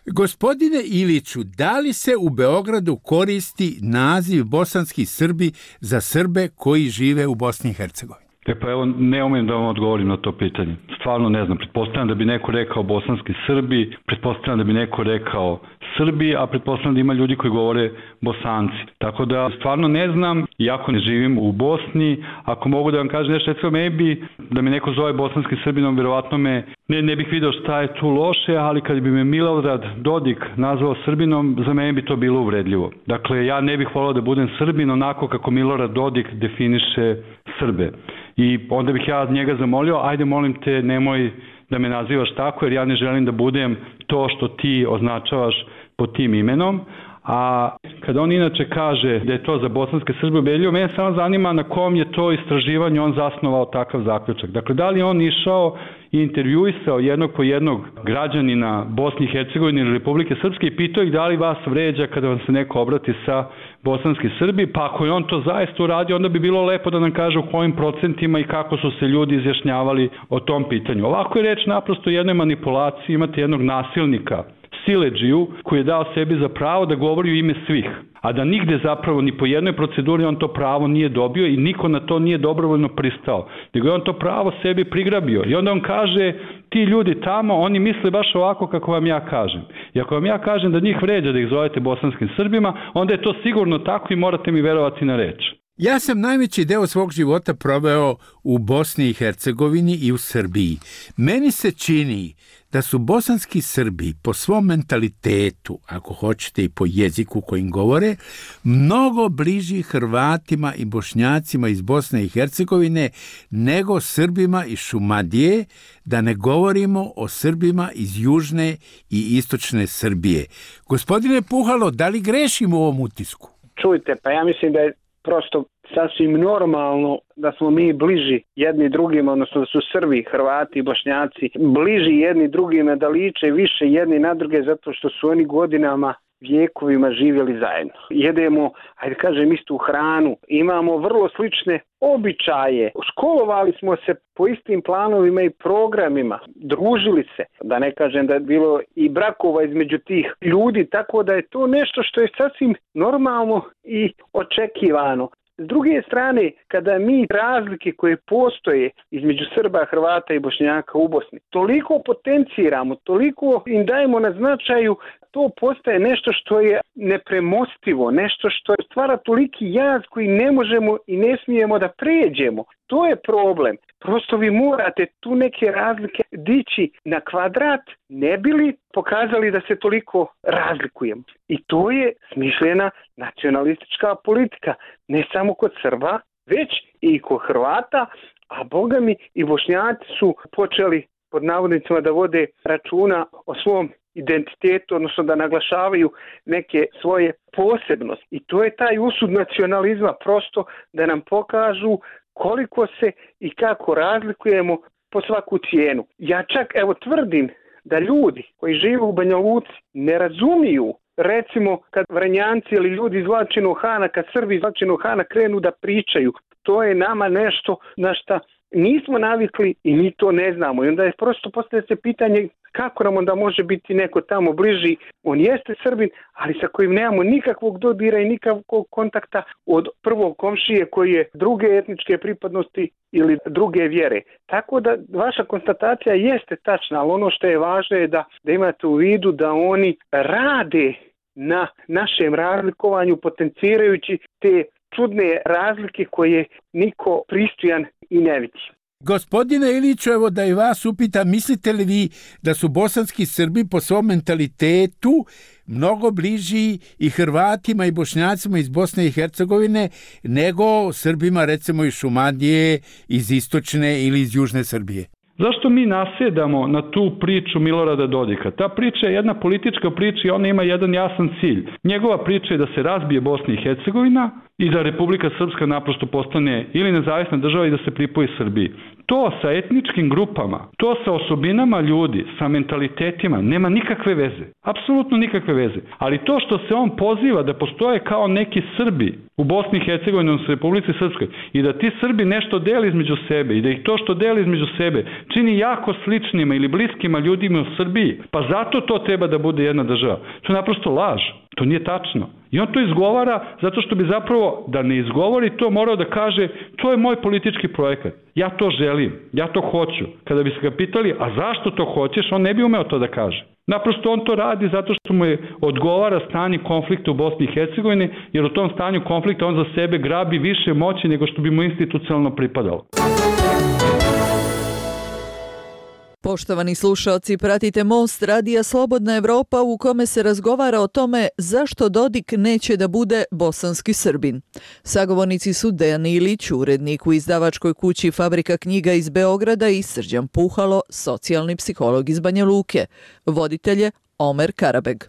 Gospodine Iliću, da li se u Beogradu koristi naziv bosanski Srbi za Srbe koji žive u Bosni i Hercegovini? Pa evo, ne umem da vam odgovorim na to pitanje. Stvarno ne znam. Pretpostavljam da bi neko rekao bosanski Srbi, pretpostavljam da bi neko rekao Srbi, a pretpostavljam da ima ljudi koji govore Bosanci. Tako da stvarno ne znam, iako ne živim u Bosni, ako mogu da vam kažem nešto, recimo da me neko zove bosanski Srbinom, vjerovatno ne bih video šta je tu loše, ali kad bi me Milorad Dodik nazvao Srbinom, za mene bi to bilo uvredljivo. Dakle, ja ne bih volao da budem Srbin onako kako Milorad Dodik definiše Srbe. I onda bih ja njega zamolio, ajde molim te, nemoj da me nazivaš tako, jer ja ne želim da budem to što ti označavaš pod tim imenom. A kada on inače kaže da je to za bosanske Srbe ubedljivo, mene samo zanima na kom je to istraživanju on zasnovao takav zaključak. Dakle, da li on išao i intervjuisao jednog po jednog građanina Bosne i Hercegovine ili Republike Srpske i pitao ih da li vas vređa kada vam se neko obrati sa bosanski Srbi, pa ako je on to zaista uradio, onda bi bilo lepo da nam kaže u kojim procentima i kako su se ljudi izjašnjavali o tom pitanju. Ovako je reč naprosto o jednoj manipulaciji, imate jednog nasilnika, siledžiju, koji je dao sebi za pravo da govori u ime svih, a da nigde zapravo ni po jednoj proceduri on to pravo nije dobio i niko na to nije dobrovoljno pristao, nego je on to pravo sebi prigrabio. I onda on kaže, ti ljudi tamo, oni misle baš ovako kako vam ja kažem. I ako vam ja kažem da njih vređa da ih zovete bosanskim Srbima, onda je to sigurno tako i morate mi verovati na reč. Ja sam najveći deo svog života proveo u Bosni i Hercegovini i u Srbiji. Meni se čini da su bosanski Srbi po svom mentalitetu, ako hoćete i po jeziku kojim govore, mnogo bliži Hrvatima i Bošnjacima iz Bosne i Hercegovine nego Srbima iz Šumadije, da ne govorimo o Srbima iz južne i istočne Srbije. Gospodine Puhalo, da li grešimo u ovom utisku? Čujte, pa ja mislim da je prosto sasvim normalno da smo mi bliži jedni drugima, odnosno da su Srbi, Hrvati i Bošnjaci bliži jedni drugima, da liče više jedni na druge zato što su oni godinama, vjekovima živjeli zajedno. Jedemo, ajde kažem, istu hranu, imamo vrlo slične običaje, školovali smo se po istim planovima i programima, družili se, da ne kažem da je bilo i brakova između tih ljudi, tako da je to nešto što je sasvim normalno i očekivano. S druge strane, kada mi razlike koje postoje između Srba, Hrvata i Bošnjaka u Bosni toliko potenciramo, toliko im dajemo na značaju, to postaje nešto što je nepremostivo, nešto što stvara toliki jaz koji ne možemo i ne smijemo da pređemo. To je problem. Prosto vi morate tu neke razlike dići na kvadrat, ne bi li pokazali da se toliko razlikujemo. I to je smišljena nacionalistička politika, ne samo kod Srba, već i kod Hrvata, a boga mi i Bošnjaci su počeli pod navodnicima da vode računa o svom identitetu, odnosno da naglašavaju neke svoje posebnosti. I to je taj usud nacionalizma, prosto da nam pokažu koliko se i kako razlikujemo po svaku cijenu. Ja čak tvrdim da ljudi koji žive u Banja Luci ne razumiju, recimo kad Vranjanci ili ljudi iz Vlačinog Hana, kad Srbi iz Vlačinog Hana krenu da pričaju, to je nama nešto na šta nismo navikli i mi to ne znamo. I onda je prosto postavlja se pitanje kako nam onda može biti neko tamo bliži. On jeste Srbin, ali sa kojim nemamo nikakvog dodira i nikakvog kontakta od prvog komšije koji je druge etničke pripadnosti ili druge vjere. Tako da vaša konstatacija jeste tačna, ali ono što je važno je da imate u vidu da oni rade na našem razlikovanju, potencirajući te čudne razlike koje niko pristojan i ne vidi. Gospodine Iliću, evo da i vas upitam, mislite li vi da su bosanski Srbi po svom mentalitetu mnogo bliži i Hrvatima i Bošnjacima iz Bosne i Hercegovine nego Srbima recimo iz Šumadije, iz istočne ili iz južne Srbije? Zašto mi nasjedamo na tu priču Milorada Dodika? Ta priča je jedna politička priča i ona ima jedan jasan cilj. Njegova priča je da se razbije Bosna i Hercegovina i da Republika Srpska naprosto postane ili nezavisna država i da se pripoji Srbiji. To sa etničkim grupama, to sa osobinama ljudi, sa mentalitetima nema nikakve veze. Apsolutno nikakve veze. Ali to što se on poziva da postoje kao neki Srbi u Bosni i Hercegovini, u Republici Srpskoj, i da ti Srbi nešto deli između sebe i da ih to što deli između sebe čini jako sličnima ili bliskima ljudima u Srbiji, pa zato to treba da bude jedna država. To je naprosto laž. To nije tačno. I on to izgovara zato što bi zapravo, da ne izgovori to, morao da kaže to je moj politički projekat. Ja to želim, ja to hoću. Kada bi se ga pitali, a zašto to hoćeš, on ne bi umeo to da kaže. Naprosto on to radi zato što mu je odgovara stanje konflikta u Bosni i Hercegovini, jer u tom stanju konflikta on za sebe grabi više moći nego što bi mu institucionalno pripadalo. Poštovani slušalci, pratite Most radija Slobodna Evropa u kome se razgovara o tome zašto Dodik neće da bude bosanski Srbin. Sagovornici su Dejan Ilić, urednik u izdavačkoj kući Fabrika knjiga iz Beograda, i Srđan Puhalo, socijalni psiholog iz Banja Luke. Voditelj je Omer Karabeg.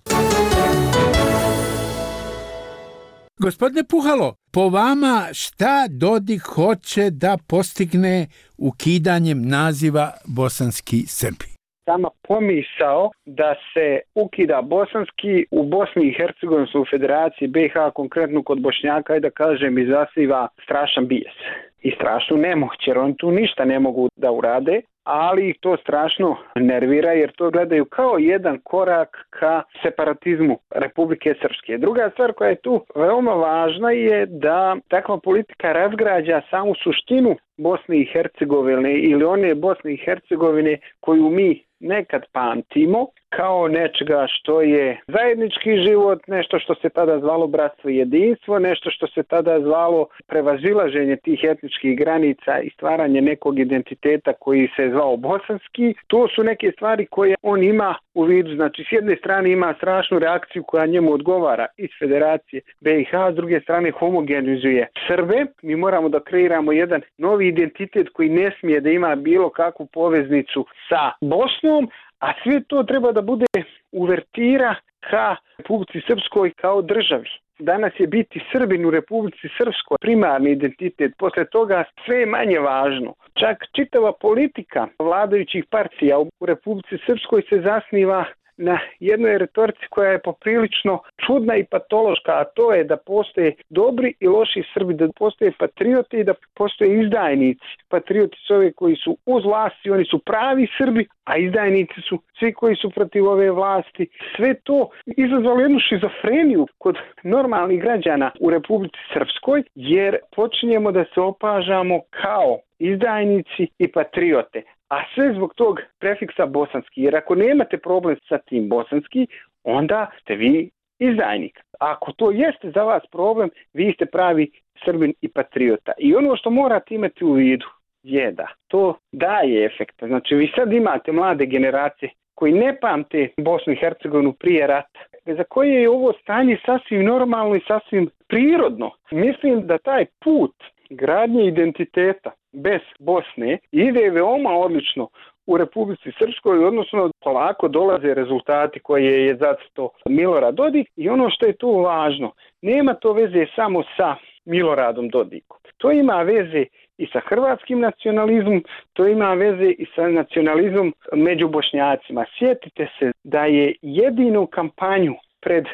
Gospodine Puhalo, po vama šta Dodik hoće da postigne ukidanjem naziva bosanski Srbi? Sama pomisao da se ukida bosanski u Bosni i Hercegovini, u Federaciji BiH, konkretno kod Bošnjaka, i da kažem, izaziva strašan bijes i strašnu nemoć, jer oni tu ništa ne mogu da urade, ali ih to strašno nervira jer to gledaju kao jedan korak ka separatizmu Republike Srpske. Druga stvar koja je tu veoma važna je da takva politika razgrađa samu suštinu Bosne i Hercegovine ili one Bosne i Hercegovine koju mi nekad pamtimo kao nečega što je zajednički život, nešto što se tada zvalo bratstvo i jedinstvo, nešto što se tada zvalo prevazilaženje tih etničkih granica i stvaranje nekog identiteta koji se zvao bosanski. To su neke stvari koje on ima u vidu. Znači, s jedne strane ima strašnu reakciju koja njemu odgovara iz Federacije BiH, s druge strane homogenizuje Srbe. Mi moramo da kreiramo jedan novi identitet koji ne smije da ima bilo kakvu poveznicu sa Bosnom, a sve to treba da bude uvertira ka Republici Srpskoj kao državi. Danas je biti Srbin u Republici Srpskoj primarni identitet, posle toga sve je manje važno. Čak čitava politika vladajućih partija u Republici Srpskoj se zasniva na jednoj retorici koja je poprilično čudna i patološka, a to je da postoje dobri i loši Srbi, da postoje patrioti i da postoje izdajnici. Patrioti su ovi koji su uz vlasti, oni su pravi Srbi, a izdajnici su svi koji su protiv ove vlasti. Sve to izazvalo jednu šizofreniju kod normalnih građana u Republici Srpskoj, jer počinjemo da se opažamo kao izdajnici i patriote. A sve zbog tog prefiksa bosanski, jer ako nemate problem sa tim bosanski, onda ste vi izdajnik. Ako to jeste za vas problem, vi ste pravi Srbin i patriota. I ono što morate imati u vidu je da to daje efekta. Znači, vi sad imate mlade generacije koji ne pamte Bosnu i Hercegovinu prije rata, za koje je ovo stanje sasvim normalno i sasvim prirodno. Mislim da taj put gradnje identiteta bez Bosne ide veoma odlično u Republici Srpskoj, odnosno polako dolaze rezultati koje je zacrtao Milorad Dodik. I ono što je tu važno, nema to veze samo sa Miloradom Dodikom. To ima veze i sa hrvatskim nacionalizmom, to ima veze i sa nacionalizmom među Bošnjacima. Sjetite se da je jedinu kampanju pred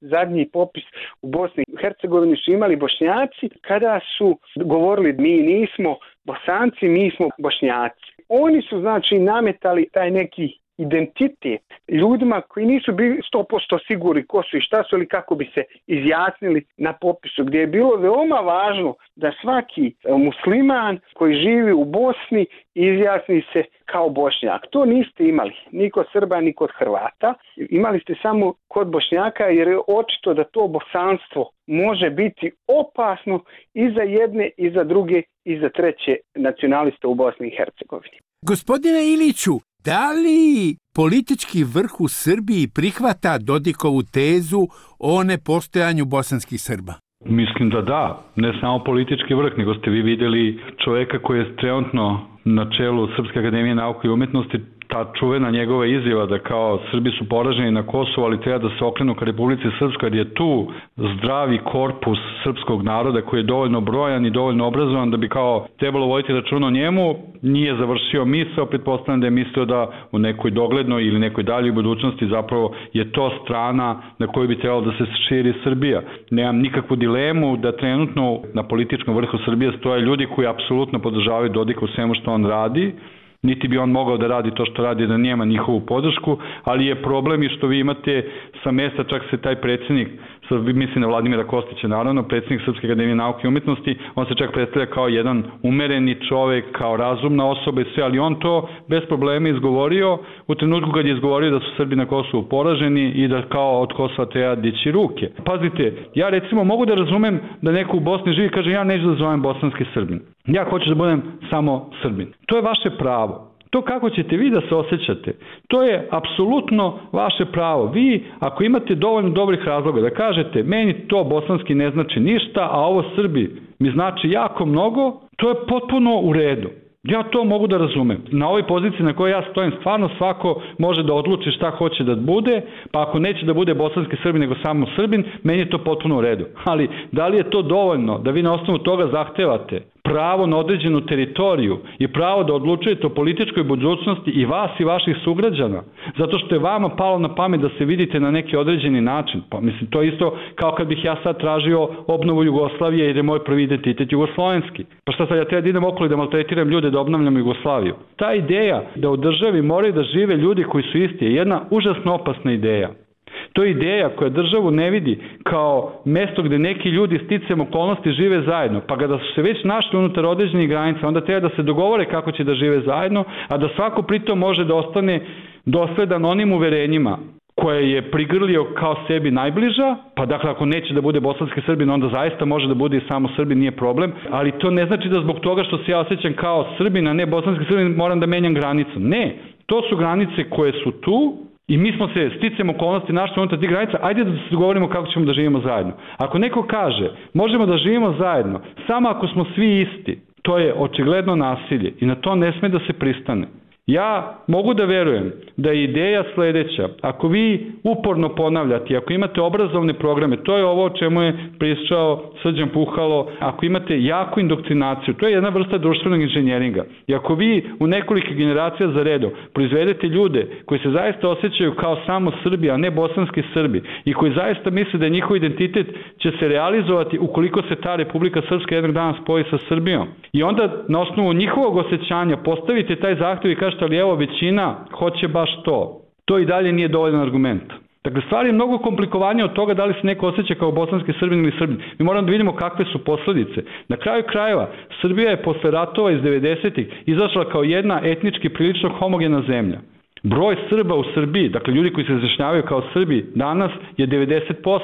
zadnji popis u Bosni i Hercegovini su imali Bošnjaci kada su govorili mi nismo Bosanci, mi smo Bošnjaci. Oni su znači nametali taj neki identitet ljudima koji nisu bili 100% sigurni ko su i šta su ili kako bi se izjasnili na popisu, gdje je bilo veoma važno da svaki musliman koji živi u Bosni izjasni se kao Bošnjak. To niste imali ni kod Srba ni kod Hrvata. Imali ste samo kod Bošnjaka, jer je očito da to bosanstvo može biti opasno i za jedne i za druge i za treće nacionaliste u Bosni i Hercegovini. Gospodine Iliću, da li politički vrh u Srbiji prihvata Dodikovu tezu o nepostojanju bosanskih Srba? Mislim da, ne samo politički vrh, nego ste vi vidjeli čovjeka koji je trenutno na čelu Srpske akademije nauke i umjetnosti, ta čuvena njegova izjava da kao Srbi su poraženi na Kosovu, ali treba da se okrenu ka Republici Srpskoj, jer je tu zdravi korpus srpskog naroda koji je dovoljno brojan i dovoljno obrazovan da bi kao trebalo voditi računa o njemu. Nije završio misao, pretpostavljam da je mislio da u nekoj doglednoj ili nekoj daljoj budućnosti zapravo je to strana na koju bi trebalo da se širi Srbija. Nemam nikakvu dilemu da trenutno na političkom vrhu Srbije stoje ljudi koji apsolutno podržavaju Dodika u svemu što on radi, niti bi on mogao da radi to što radi da nema njihovu podršku, ali je problem i što vi imate sa mesta, čak se taj predsjednik, mislim na Vladimira Kostića naravno, predsjednik Srpske akademije nauke i umjetnosti, on se čak predstavlja kao jedan umereni čovjek, kao razumna osoba i sve, ali on to bez problema izgovorio u trenutku kad je izgovorio da su Srbi na Kosovu poraženi i da kao od Kosova treba dići ruke. Pazite, ja recimo mogu da razumem da neko u Bosni živi i kaže ja neću da zovem bosanski Srbin. Ja hoću da budem samo Srbin. To je vaše pravo. To kako ćete vi da se osjećate, to je apsolutno vaše pravo. Vi, ako imate dovoljno dobrih razloga da kažete meni to bosanski ne znači ništa, a ovo Srbi mi znači jako mnogo, to je potpuno u redu. Ja to mogu da razumem. Na ovoj poziciji na kojoj ja stojim, stvarno svako može da odluči šta hoće da bude, pa ako neće da bude bosanski Srbin nego samo Srbin, meni je to potpuno u redu. Ali da li je to dovoljno da vi na osnovu toga zahtevate pravo na određenu teritoriju i pravo da odlučujete o političkoj budućnosti i vas i vaših sugrađana, zato što je vama palo na pamet da se vidite na neki određeni način? Pa mislim, to je isto kao kad bih ja sad tražio obnovu Jugoslavije jer je moj prvi identitet jugoslovenski. Pa šta sad, ja treba da idem okolo i da maltretiram ljude da obnavljam Jugoslaviju? Ta ideja da u državi moraju da žive ljudi koji su isti je jedna užasno opasna ideja. To je ideja koja državu ne vidi kao mesto gde neki ljudi sticajem okolnosti žive zajedno, pa kada su se već našli unutar određenih granica, onda treba da se dogovore kako će da žive zajedno, a da svako pritom može da ostane dosledan onim uverenjima koje je prigrlio kao sebi najbliža, pa dakle ako neće da bude bosanski Srbin, onda zaista može da bude i samo Srbin, nije problem, ali to ne znači da zbog toga što se ja osjećam kao Srbin, a ne bosanski Srbin, moram da menjam granicu. Ne, to su granice koje su tu i mi smo se sticajem okolnosti našli unutar tih granica, ajde da se dogovorimo kako ćemo da živimo zajedno. Ako neko kaže, možemo da živimo zajedno, samo ako smo svi isti, to je očigledno nasilje i na to ne sme da se pristane. Ja mogu da verujem da je ideja sledeća. Ako vi uporno ponavljate, ako imate obrazovne programe, to je ovo o čemu je pričao Srđan Puhalo, ako imate jaku indoktrinaciju, to je jedna vrsta društvenog inženjeringa. I ako vi u nekoliko generacija za redom proizvedete ljude koji se zaista osjećaju kao samo Srbi, a ne bosanski Srbi, i koji zaista misle da njihov identitet će se realizovati ukoliko se ta Republika Srpska jednog dana spoji sa Srbijom. I onda na osnovu njihovog osjećanja postavite taj zahtev i kažete, ali evo većina hoće baš to. To i dalje nije dovoljan argument. Dakle, stvar je mnogo komplikovanija od toga da li se neko osjeća kao bosanski Srbin ili Srbin. Mi moramo da vidimo kakve su posledice. Na kraju krajeva, Srbija je posle ratova iz 90-ih izašla kao jedna etnički prilično homogena zemlja. Broj Srba u Srbiji, dakle ljudi koji se izjašnjavaju kao Srbi danas, je 90%.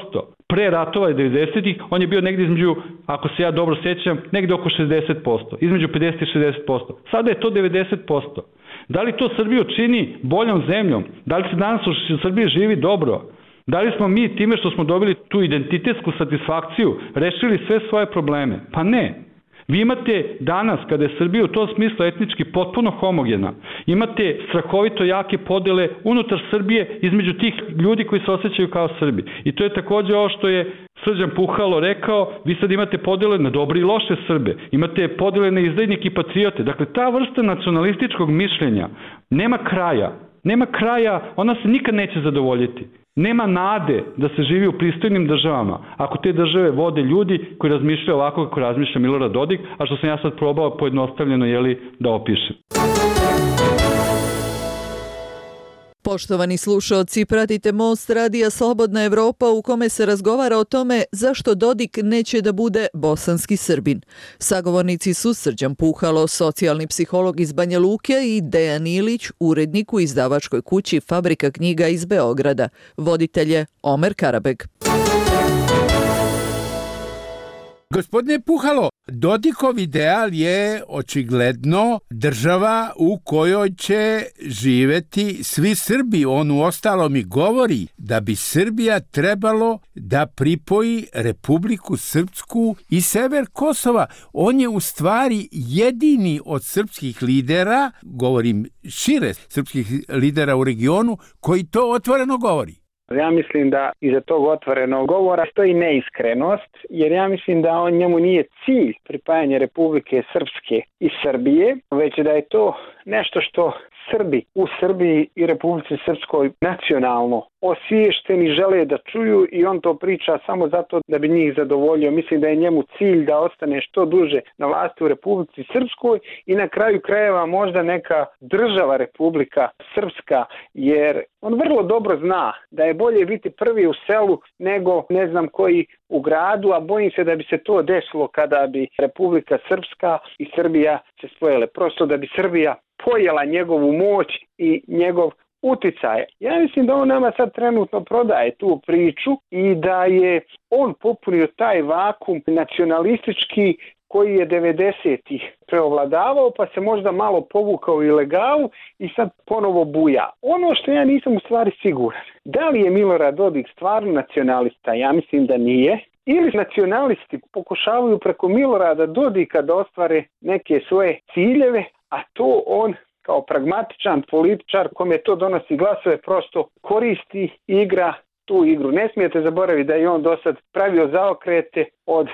Pre ratova je 90-ih, on je bio negdje između, ako se ja dobro sjećam, negdje oko 60%, između 50 i 60%. Sada je to 90%. Da li to Srbiju čini boljom zemljom? Da li se danas u Srbiji živi dobro? Da li smo mi time što smo dobili tu identitetsku satisfakciju rešili sve svoje probleme? Pa ne. Vi imate danas, kada je Srbija u tom smislu etnički potpuno homogena, imate strahovito jake podele unutar Srbije između tih ljudi koji se osjećaju kao Srbi. I to je također ovo što je Srđan Puhalo rekao, vi sad imate podele na dobre i loše Srbe, imate podele na izdajnike i patriote. Dakle, ta vrsta nacionalističkog mišljenja nema kraja. Nema kraja, ona se nikad neće zadovoljiti. Nema nade da se živi u pristojnim državama ako te države vode ljudi koji razmišljaju ovako kako razmišlja Milorad Dodik, a što sam ja sad probao pojednostavljeno da opišem. Poštovani slušaoci, pratite Most radija Slobodna Evropa u kome se razgovara o tome zašto Dodik neće da bude bosanski Srbin. Sagovornici su Srđan Puhalo, socijalni psiholog iz Banja Luke, i Dejan Ilić, urednik u izdavačkoj kući Fabrika knjiga iz Beograda. Voditelj je Omer Karabeg. Gospodine Puhalo, Dodikov ideal je očigledno država u kojoj će živeti svi Srbi. On u ostalom i govori da bi Srbija trebalo da pripoji Republiku Srpsku i sever Kosova. On je u stvari jedini od srpskih lidera, govorim šire srpskih lidera u regionu, koji to otvoreno govori. Ja mislim da iza tog otvorenog govora stoji neiskrenost, jer ja mislim da njemu nije cilj pripajanje Republike Srpske i Srbije, već da je to nešto što Srbi u Srbiji i Republici Srpskoj nacionalno osviješteni žele da čuju i on to priča samo zato da bi njih zadovoljio. Mislim da je njemu cilj da ostane što duže na vlasti u Republici Srpskoj i na kraju krajeva možda neka država Republika Srpska, jer on vrlo dobro zna da je bolje biti prvi u selu nego ne znam koji u gradu, a bojim se da bi se to desilo kada bi Republika Srpska i Srbija se spojile. Prosto da bi Srbija pojela njegovu moć i njegov uticaj. Ja mislim da on nama sad trenutno prodaje tu priču i da je on popunio taj vakum nacionalistički koji je 90-ih preovladavao, pa se možda malo povukao ilegalu i sad ponovo buja. Ono što ja nisam u stvari siguran, da li je Milorad Dodik stvarno nacionalista? Ja mislim da nije. Ili nacionalisti pokušavaju preko Milorada Dodika da ostvare neke svoje ciljeve, a to on kao pragmatičan političar kome to donosi glasove prosto koristi i igra tu igru. Ne smijete zaboraviti da je on do sad pravio zaokrete od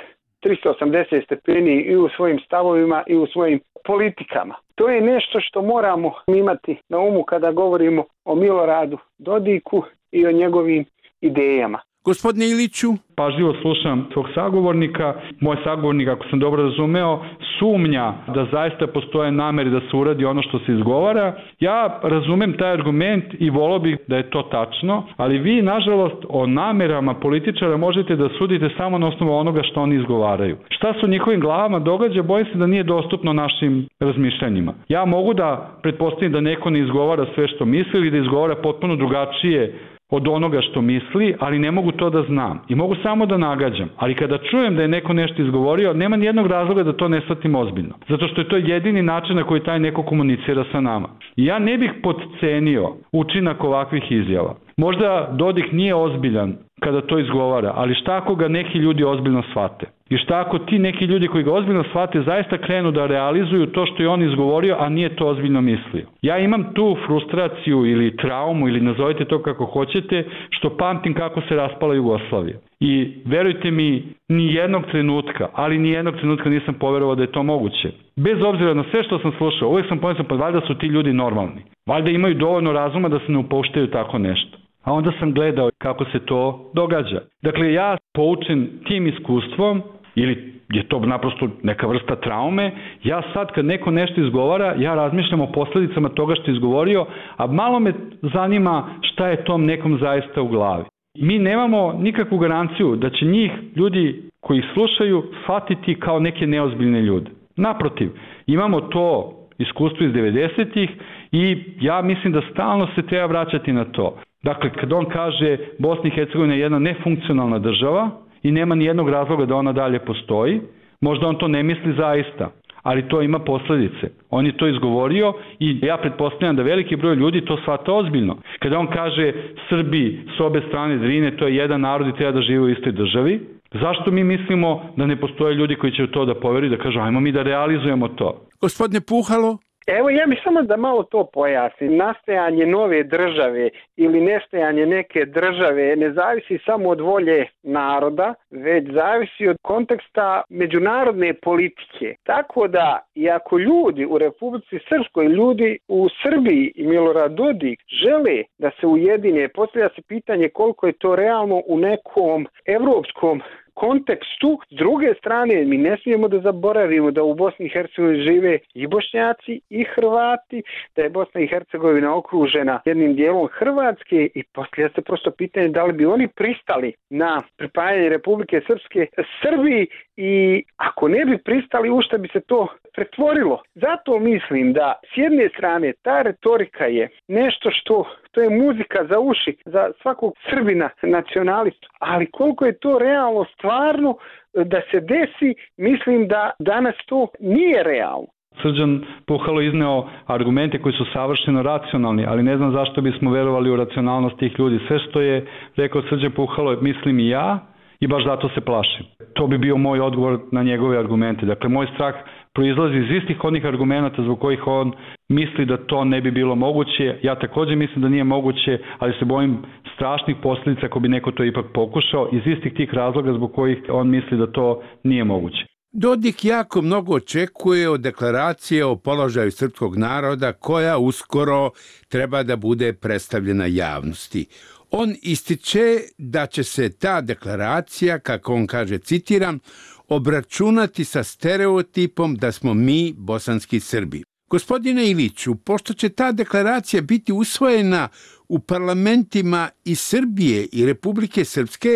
380 stepeni i u svojim stavovima i u svojim politikama. To je nešto što moramo imati na umu kada govorimo o Miloradu Dodiku i o njegovim idejama. Gospodine Iliću? Pažljivo slušam svog sagovornika. Moj sagovornik, ako sam dobro razumeo, sumnja da zaista postoje namere da se uradi ono što se izgovara. Ja razumem taj argument i volio bih da je to tačno, ali vi, nažalost, o namerama političara možete da sudite samo na osnovu onoga što oni izgovaraju. Šta se u njihovim glavama događa, bojim se da nije dostupno našim razmišljanjima. Ja mogu da pretpostavim da neko ne izgovara sve što misli ili da izgovara potpuno drugačije od onoga što misli, ali ne mogu to da znam. I mogu samo da nagađam. Ali kada čujem da je neko nešto izgovorio, nema nijednog razloga da to ne shvatim ozbiljno. Zato što je to jedini način na koji taj neko komunicira sa nama. I ja ne bih podcenio učinak ovakvih izjava. Možda Dodik nije ozbiljan kada to izgovara, ali šta ako ga neki ljudi ozbiljno shvate? I šta ako ti neki ljudi koji ga ozbiljno shvate zaista krenu da realizuju to što je on izgovorio, a nije to ozbiljno mislio? Ja imam tu frustraciju ili traumu, ili nazovite to kako hoćete, što pamtim kako se raspala Jugoslavija. I verujte mi, ni jednog trenutka, ali ni jednog trenutka nisam poverovao da je to moguće. Bez obzira na sve što sam slušao, uvijek sam pomislio, pa valjda su ti ljudi normalni. Valjda imaju dovoljno razuma da se ne upuštaju tako nešto. A onda sam gledao kako se to događa. Dakle, ja poučen tim iskustvom, ili je to naprosto neka vrsta traume, ja sad kad neko nešto izgovara, ja razmišljam o posljedicama toga što je izgovorio, a malo me zanima šta je tom nekom zaista u glavi. Mi nemamo nikakvu garanciju da će njih, ljudi koji ih slušaju, shvatiti kao neke neozbiljne ljude. Naprotiv, imamo to iskustvo iz 90-ih i ja mislim da stalno se treba vraćati na to. Dakle, kad on kaže Bosna i Hercegovina je jedna nefunkcionalna država i nema ni jednog razloga da ona dalje postoji, možda on to ne misli zaista, ali to ima posljedice. On je to izgovorio i ja pretpostavljam da veliki broj ljudi to shvata ozbiljno. Kada on kaže Srbi s obe strane Drine, to je jedan narod i treba da žive u istoj državi, zašto mi mislimo da ne postoje ljudi koji će u to da poveruju, da kažu ajmo mi da realizujemo to? Gospodine Puhalo? Evo, ja bih samo da malo to pojasnim. Nastajanje nove države ili nestajanje neke države ne zavisi samo od volje naroda, već zavisi od konteksta međunarodne politike. Tako da, i ako ljudi u Republici Srpskoj, ljudi u Srbiji i Milorad Dodik žele da se ujedine, postavlja se pitanje koliko je to realno u nekom evropskom kontekstu. S druge strane, mi ne smijemo da zaboravimo da u Bosni i Hercegovini žive i Bošnjaci i Hrvati, da je Bosna i Hercegovina okružena jednim dijelom Hrvatske i postavlja se prosto pitanje da li bi oni pristali na pripajanje Republike Srpske Srbiji i ako ne bi pristali, u šta bi se to pretvorilo. Zato mislim da s jedne strane ta retorika je nešto što to je muzika za uši za svakog Srbina nacionalistu, ali koliko je to realno stvarno da se desi, mislim da danas to nije realno. Srđan Puhalo izneo argumente koji su savršeno racionalni, ali ne znam zašto bismo verovali u racionalnost tih ljudi. Sve što je rekao Srđan Puhalo mislim i ja i baš zato se plašim. To bi bio moj odgovor na njegove argumente. Dakle, moj strah proizlazi iz istih onih argumenta zbog kojih on misli da to ne bi bilo moguće. Ja također mislim da nije moguće, ali se bojim strašnih posljedica ako bi neko to ipak pokušao iz istih tih razloga zbog kojih on misli da to nije moguće. Dodik jako mnogo očekuje od deklaracije o položaju srpskog naroda koja uskoro treba da bude predstavljena javnosti. On ističe da će se ta deklaracija, kako on kaže, citiram, obračunati sa stereotipom da smo mi bosanski Srbi. Gospodine Iliću, pošto će ta deklaracija biti usvojena u parlamentima i Srbije i Republike Srpske,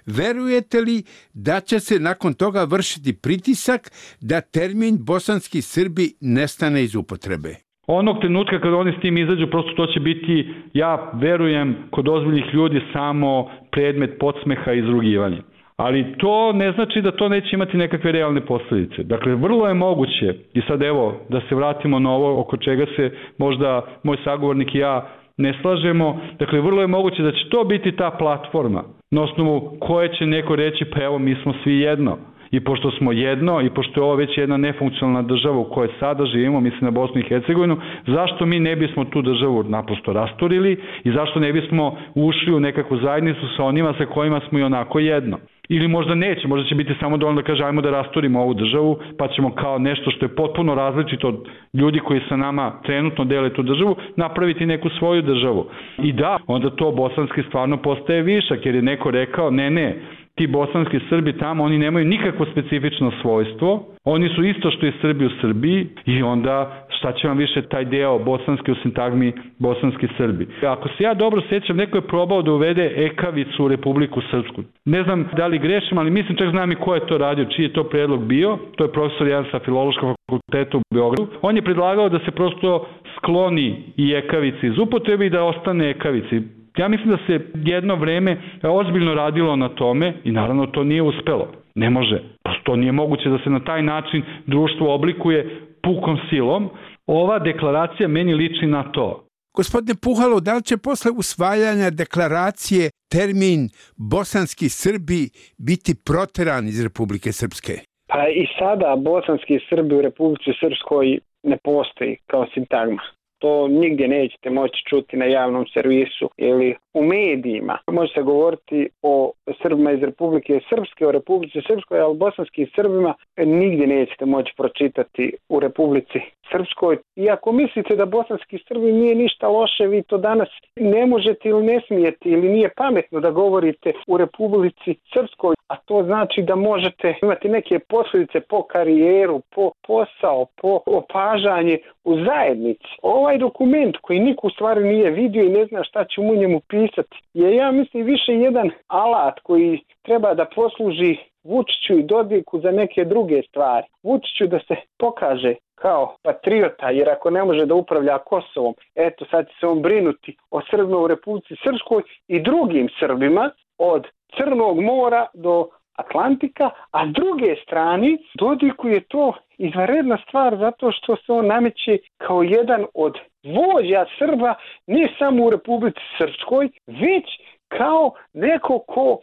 verujete li da će se nakon toga vršiti pritisak da termin bosanski Srbi nestane iz upotrebe? Onog trenutka kada oni s tim izađu, prosto to će biti, ja verujem, kod ozbiljnih ljudi samo predmet podsmeha i izrugivanja. Ali to ne znači da to neće imati nekakve realne posljedice. Dakle, vrlo je moguće, i sad evo, da se vratimo na ovo oko čega se možda moj sagovornik i ja ne slažemo, dakle, vrlo je moguće da će to biti ta platforma na osnovu koje će neko reći, pa evo, mi smo svi jedno. I pošto smo jedno i pošto je ovo već jedna nefunkcionalna država u kojoj sada živimo, mislim na Bosnu i Hercegovinu, zašto mi ne bismo tu državu naprosto rasturili i zašto ne bismo ušli u nekakvu zajednicu sa onima sa kojima smo i onako jedno. Ili možda neće, možda će biti samo dovoljno da kaže ajmo da rasturimo ovu državu, pa ćemo kao nešto što je potpuno različito od ljudi koji sa nama trenutno dele tu državu, napraviti neku svoju državu. I da, onda to bosanski stvarno postaje višak, jer je neko rekao ne, ti bosanski Srbi tamo, oni nemaju nikakvo specifično svojstvo, oni su isto što i Srbi u Srbiji i onda šta će vam više taj deo bosanski u sintagmi bosanski Srbi. Ako se ja dobro sjećam, neko je probao da uvede ekavicu u Republiku Srpsku. Ne znam da li grešim, ali mislim čak znam i ko je to radio, čiji je to predlog bio, to je profesor jedan sa Filološkog fakulteta u Beogradu. On je predlagao da se prosto skloni i ekavici iz upotrebe i da ostane ekavici. Ja mislim da se jedno vreme ozbiljno radilo na tome i naravno to nije uspelo. Ne može. To nije moguće da se na taj način društvo oblikuje pukom silom. Ova deklaracija meni liči na to. Gospodine Puhalo, da li će posle usvajanja deklaracije termin bosanski Srbi biti proteran iz Republike Srpske? Pa i sada bosanski Srbi u Republici Srpskoj ne postoji kao sintagma. To nigdje nećete moći čuti na javnom servisu ili u medijima. Može se govoriti o Srbima iz Republike Srpske, o Republici Srpskoj, ali bosanskim Srbima nigdje nećete moći pročitati u Republici Srpskoj. I ako mislite da bosanski Srbi nije ništa loše, vi to danas ne možete ili ne smijete ili nije pametno da govorite u Republici Srpskoj, a to znači da možete imati neke posljedice po karijeru, po posao, po opažanje u zajednici. Ovaj dokument koji niko u stvari nije vidio i ne zna šta će u njemu pisati je, ja mislim, više jedan alat koji treba da posluži Vučiću i Dodiku za neke druge stvari. Vučiću da se pokaže kao patriota, jer ako ne može da upravlja Kosovom, eto sad će se on brinuti o Srbima u Republici Srpskoj i drugim Srbima od Crnog mora do Atlantika, a s druge strane Dodiku je to izvanredna stvar zato što se on nameće kao jedan od vođa Srba ne samo u Republici Srpskoj, već kao neko ko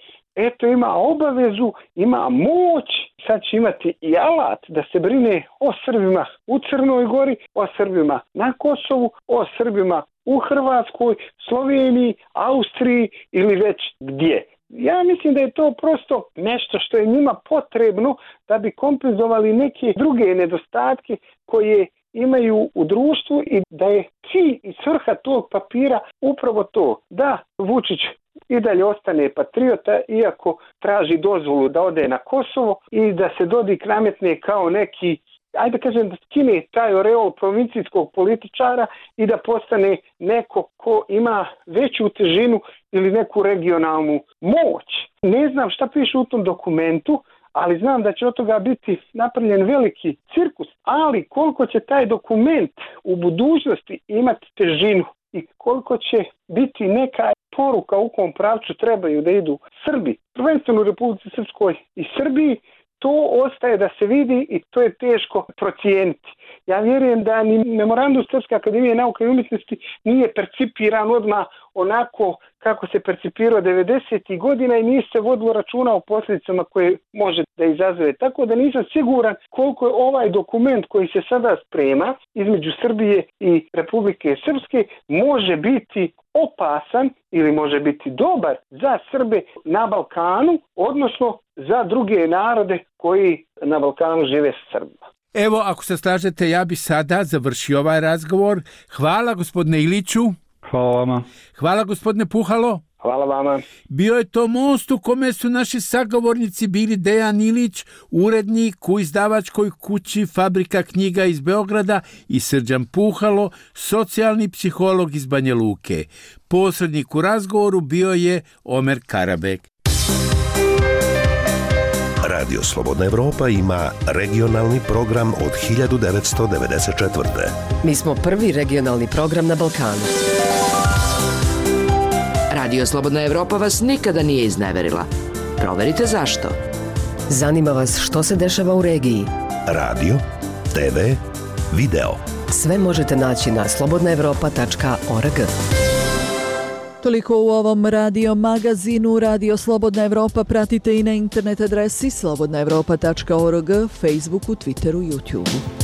ima obavezu, ima moć, sad će imati i alat da se brine o Srbima u Crnoj Gori, o Srbima na Kosovu, o Srbima u Hrvatskoj, Sloveniji, Austriji ili već gdje. Ja mislim da je to prosto nešto što je njima potrebno da bi kompenzovali neke druge nedostatke koje imaju u društvu i da je cilj i svrha tog papira upravo to da Vučić i dalje ostane patriota iako traži dozvolu da ode na Kosovo i da se Dodik nametne kao neki, ajde kažem, da skine taj oreol provincijskog političara i da postane neko ko ima veću težinu ili neku regionalnu moć. Ne znam šta piše u tom dokumentu, ali znam da će od toga biti napravljen veliki cirkus, ali koliko će taj dokument u budućnosti imati težinu i koliko će biti neka poruka u kom pravcu trebaju da idu Srbi, prvenstveno u Republici Srpskoj i Srbiji, to ostaje da se vidi i to je teško procijeniti. Ja vjerujem da ni memorandum Srpske akademije nauke i umjetnosti nije percipiran odmah onako kako se percipirao 90. godina i nije se vodilo računa o posljedicama koje može da izazove. Tako da nisam siguran koliko je ovaj dokument koji se sada sprema između Srbije i Republike Srpske može biti opasan ili može biti dobar za Srbe na Balkanu, odnosno za druge narode koji na Balkanu žive sa Srbima. Evo, ako se slažete, ja bi sada završio ovaj razgovor. Hvala gospodine Iliću. Hvala vama. Hvala gospodine Puhalo. Hvala vama. Bio je to most u kome su naši sagovornici bili Dejan Ilić, urednik u izdavačkoj kući Fabrika knjiga iz Beograda, i Srđan Puhalo, socijalni psiholog iz Banja Luke. Posrednik u razgovoru bio je Omer Karabek. Radio Slobodna Evropa ima regionalni program od 1994. Mi smo prvi regionalni program na Balkanu. Radio Slobodna Evropa vas nikada nije izneverila. Proverite zašto. Zanima vas što se dešava u regiji. Radio, TV, video. Sve možete naći na slobodnaevropa.org. Toliko u ovom radio magazinu. Radio Slobodna Evropa pratite i na internet adresi slobodnaevropa.org, Facebooku, Twitteru, YouTubeu.